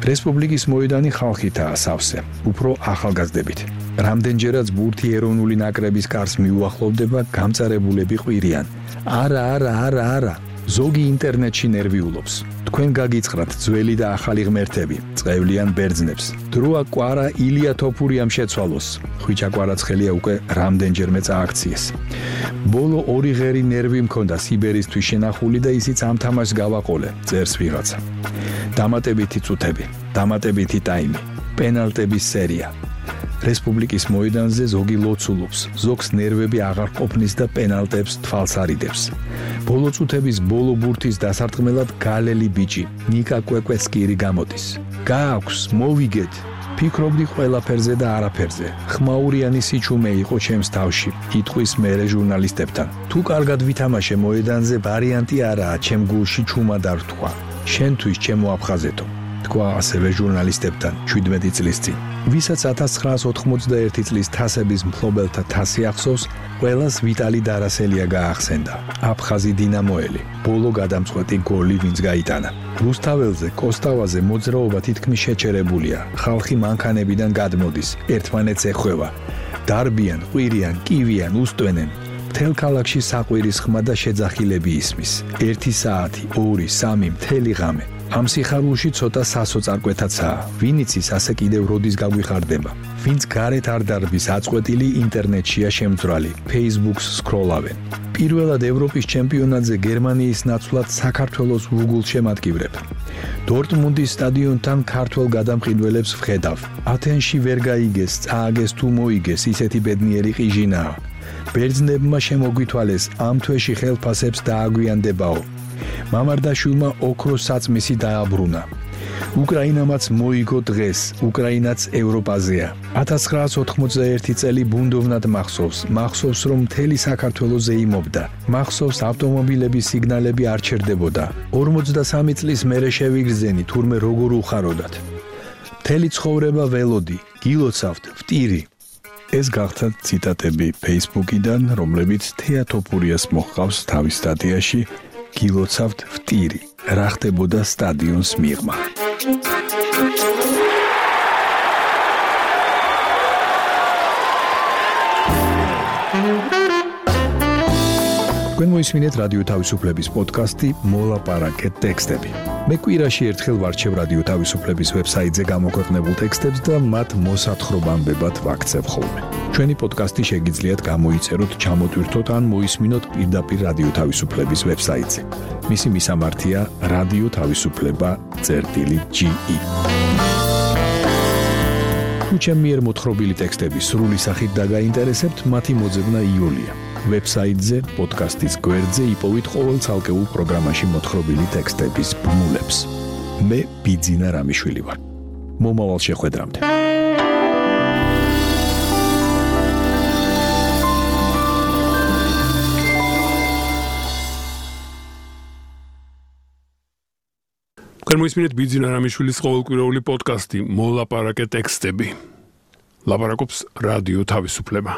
რესპუბლიკის მოედანი ხალხითაა სავსე, უფრო ახალგაზრდებით. რამდენჯერაც ბურთი ეროვნული ნაკრების კარს მიუახლოვდება, გამწარებულები ყვირიან. არა, არა, არა, არა. ზოგი ინტერნეტში ნერვიულობს. თქვენ გაგიწყრათ ძველი და ახალი ღმერთები, წევლიან ბერძნებს. დროა კვარა ილია თოფურიამ შეცვალოს. ხვიჩა კვარაცხელია უკვე რამდენჯერმე წააქციეს. ბოლო ორი ღერი ნერვი მქონდა სიბერისთვის შენახული და ისიც ამ თამაშს გავაყოლე, წერს ვიღაცა. დამატებითი წუთები, დამატებითი ტაიმი, პენალტების სერია. რესპუბლიკის მოედანზე ზოგი ლოცულობს, ზოგს ნერვები აღარ ყოფნის და პენალტებს თვალს არიდებს. ბოლო წუთების ბოლო ბურთის დასარტყმელად გალელი ბიჭი, ნიკა კვეკვეცკირი გამოდის. გააქვს, მოვიგეთ. ფიქრობდი ყველაფერზე და არაფერზე. ხმაურიანი სიჩუმე იყო ჩემს თავში, იტყვის მერე ჟურნალისტებთან. თუ კარგად ვითამაშე მოედანზე, ვარიანტი არაა, ჩემ გულში ჩუმა დართვა. შენთვის ჩემო აფხაზეთო. თქვა ასევე ჟურნალისტებთან შვიდმეტი წლის წინ. ვისაც ათას ცხრაას ოთხმოცდაერთი წლის თასების მფლობელთა თასი ახსოვს, ყველას ვიტალი დარასელია გაახსენდა. აფხაზი დინამოელი, ბოლო გადამწყვეტი გოლი ვინც გაიტანა. რუსთაველზე, კოსტავაზე მოძრაობა თითქმის შეჩერებულია. ხალხი მანქანებიდან გადმოდის, ერთმანეთს ეხვევა. დარბიან, ყვირიან, კივიან, უსტვენენ. მთელ ქალაქში საყვირის ხმა და შეძახილები ისმის. ერთი საათი, ორი, სამი, მთელი ღამე. ამ სიხარულში ცოტა სასოწარკვეთაცაა. ვინ იცის ასე კიდევ როდის გაგვიხარდება. ვინც გარეთ არ დარბის აწყვეტილი ინტერნეტშია შემძვრალი, Facebook-ს სკროლავენ. პირველად ევროპის ჩემპიონატზე გერმანიის ნაცვლად საქართველოს ვუგულ შემატკივრებ. დორტმუნდის სტადიონთან ქართველ გადამყიდველებს ვხედავ. ათენში ვერ გაიგეს, წააგეს თუ მოიგეს, ისეთი ბედნიერი ყიჟინაა. ბერძნებმა შემოგვითვალეს, ამ თვეში ხელფასებს დააგვიანდებაო. მამარდაშვილმა ოქროს საწმისი დააბრუნა. უკრაინამაც მოიგო დღეს, უკრაინაც ევროპაზეა. ათას ცხრაას ოთხმოცდაერთი წელი ბუნდოვნად მახსოვს, მახსოვს რომ მთელი საქართველო ზეიმობდა. მახსოვს ავტომობილების სიგნალები არ ჩერდებოდა. ორმოცდასამი წლის მერე შევიგრძენი, თურმე როგორ უხაროდათ. მთელი ცხოვრება ველოდი, გილოცავთ, ვტირი. ეს გახდა ციტატები Facebook-იდან, რომლებიც თეატოფურიას მოჰყავს თავის სტატიაში გილოცავთ ვტირი, რა ხდებოდა სტადიონს მიღმა. თქვენ მოისმინეთ რადიო თავისუფლების პოდკასტი მოლაპარაკეთ ტექსტები. მე კვირაში ერთხელ ვარჩევ რადიო თავისუფლების ვებსაიტზე გამოქვეყნებულ ტექსტებს და მათ მოსათხრობამდებად ვაქცევ ხოლმე. ჩვენი პოდკასტი შეგიძლიათ გამოიწეროთ, ჩამოტვირთოთ ან მოისმინოთ პირდაპირ რადიო თავისუფლების ვებსაიტზე. მისი მისამართია რადიო თავისუფლება წერტილი ჯი ი. თუ ჩემი მიერ მოთხრობილი ტექსტები სრული სახით დაგაინტერესებთ, მათი მოძებნა იულია. ვებსაიტზე, პოდკასტის გვერდზე იპოვით ყოველ ცალკეულ პროგრამაში მოთხრობილი ტექსტების ბმულებს. მე ბიძინა რამიშვილი ვარ. მომავალ შეხვედრამდე. მოისმინეთ ბიძინა რამიშვილის ყოველკვირეული პოდკასტი მოლაპარაკე ტექსტები. ლაპარაკობს რადიო თავისუფლება.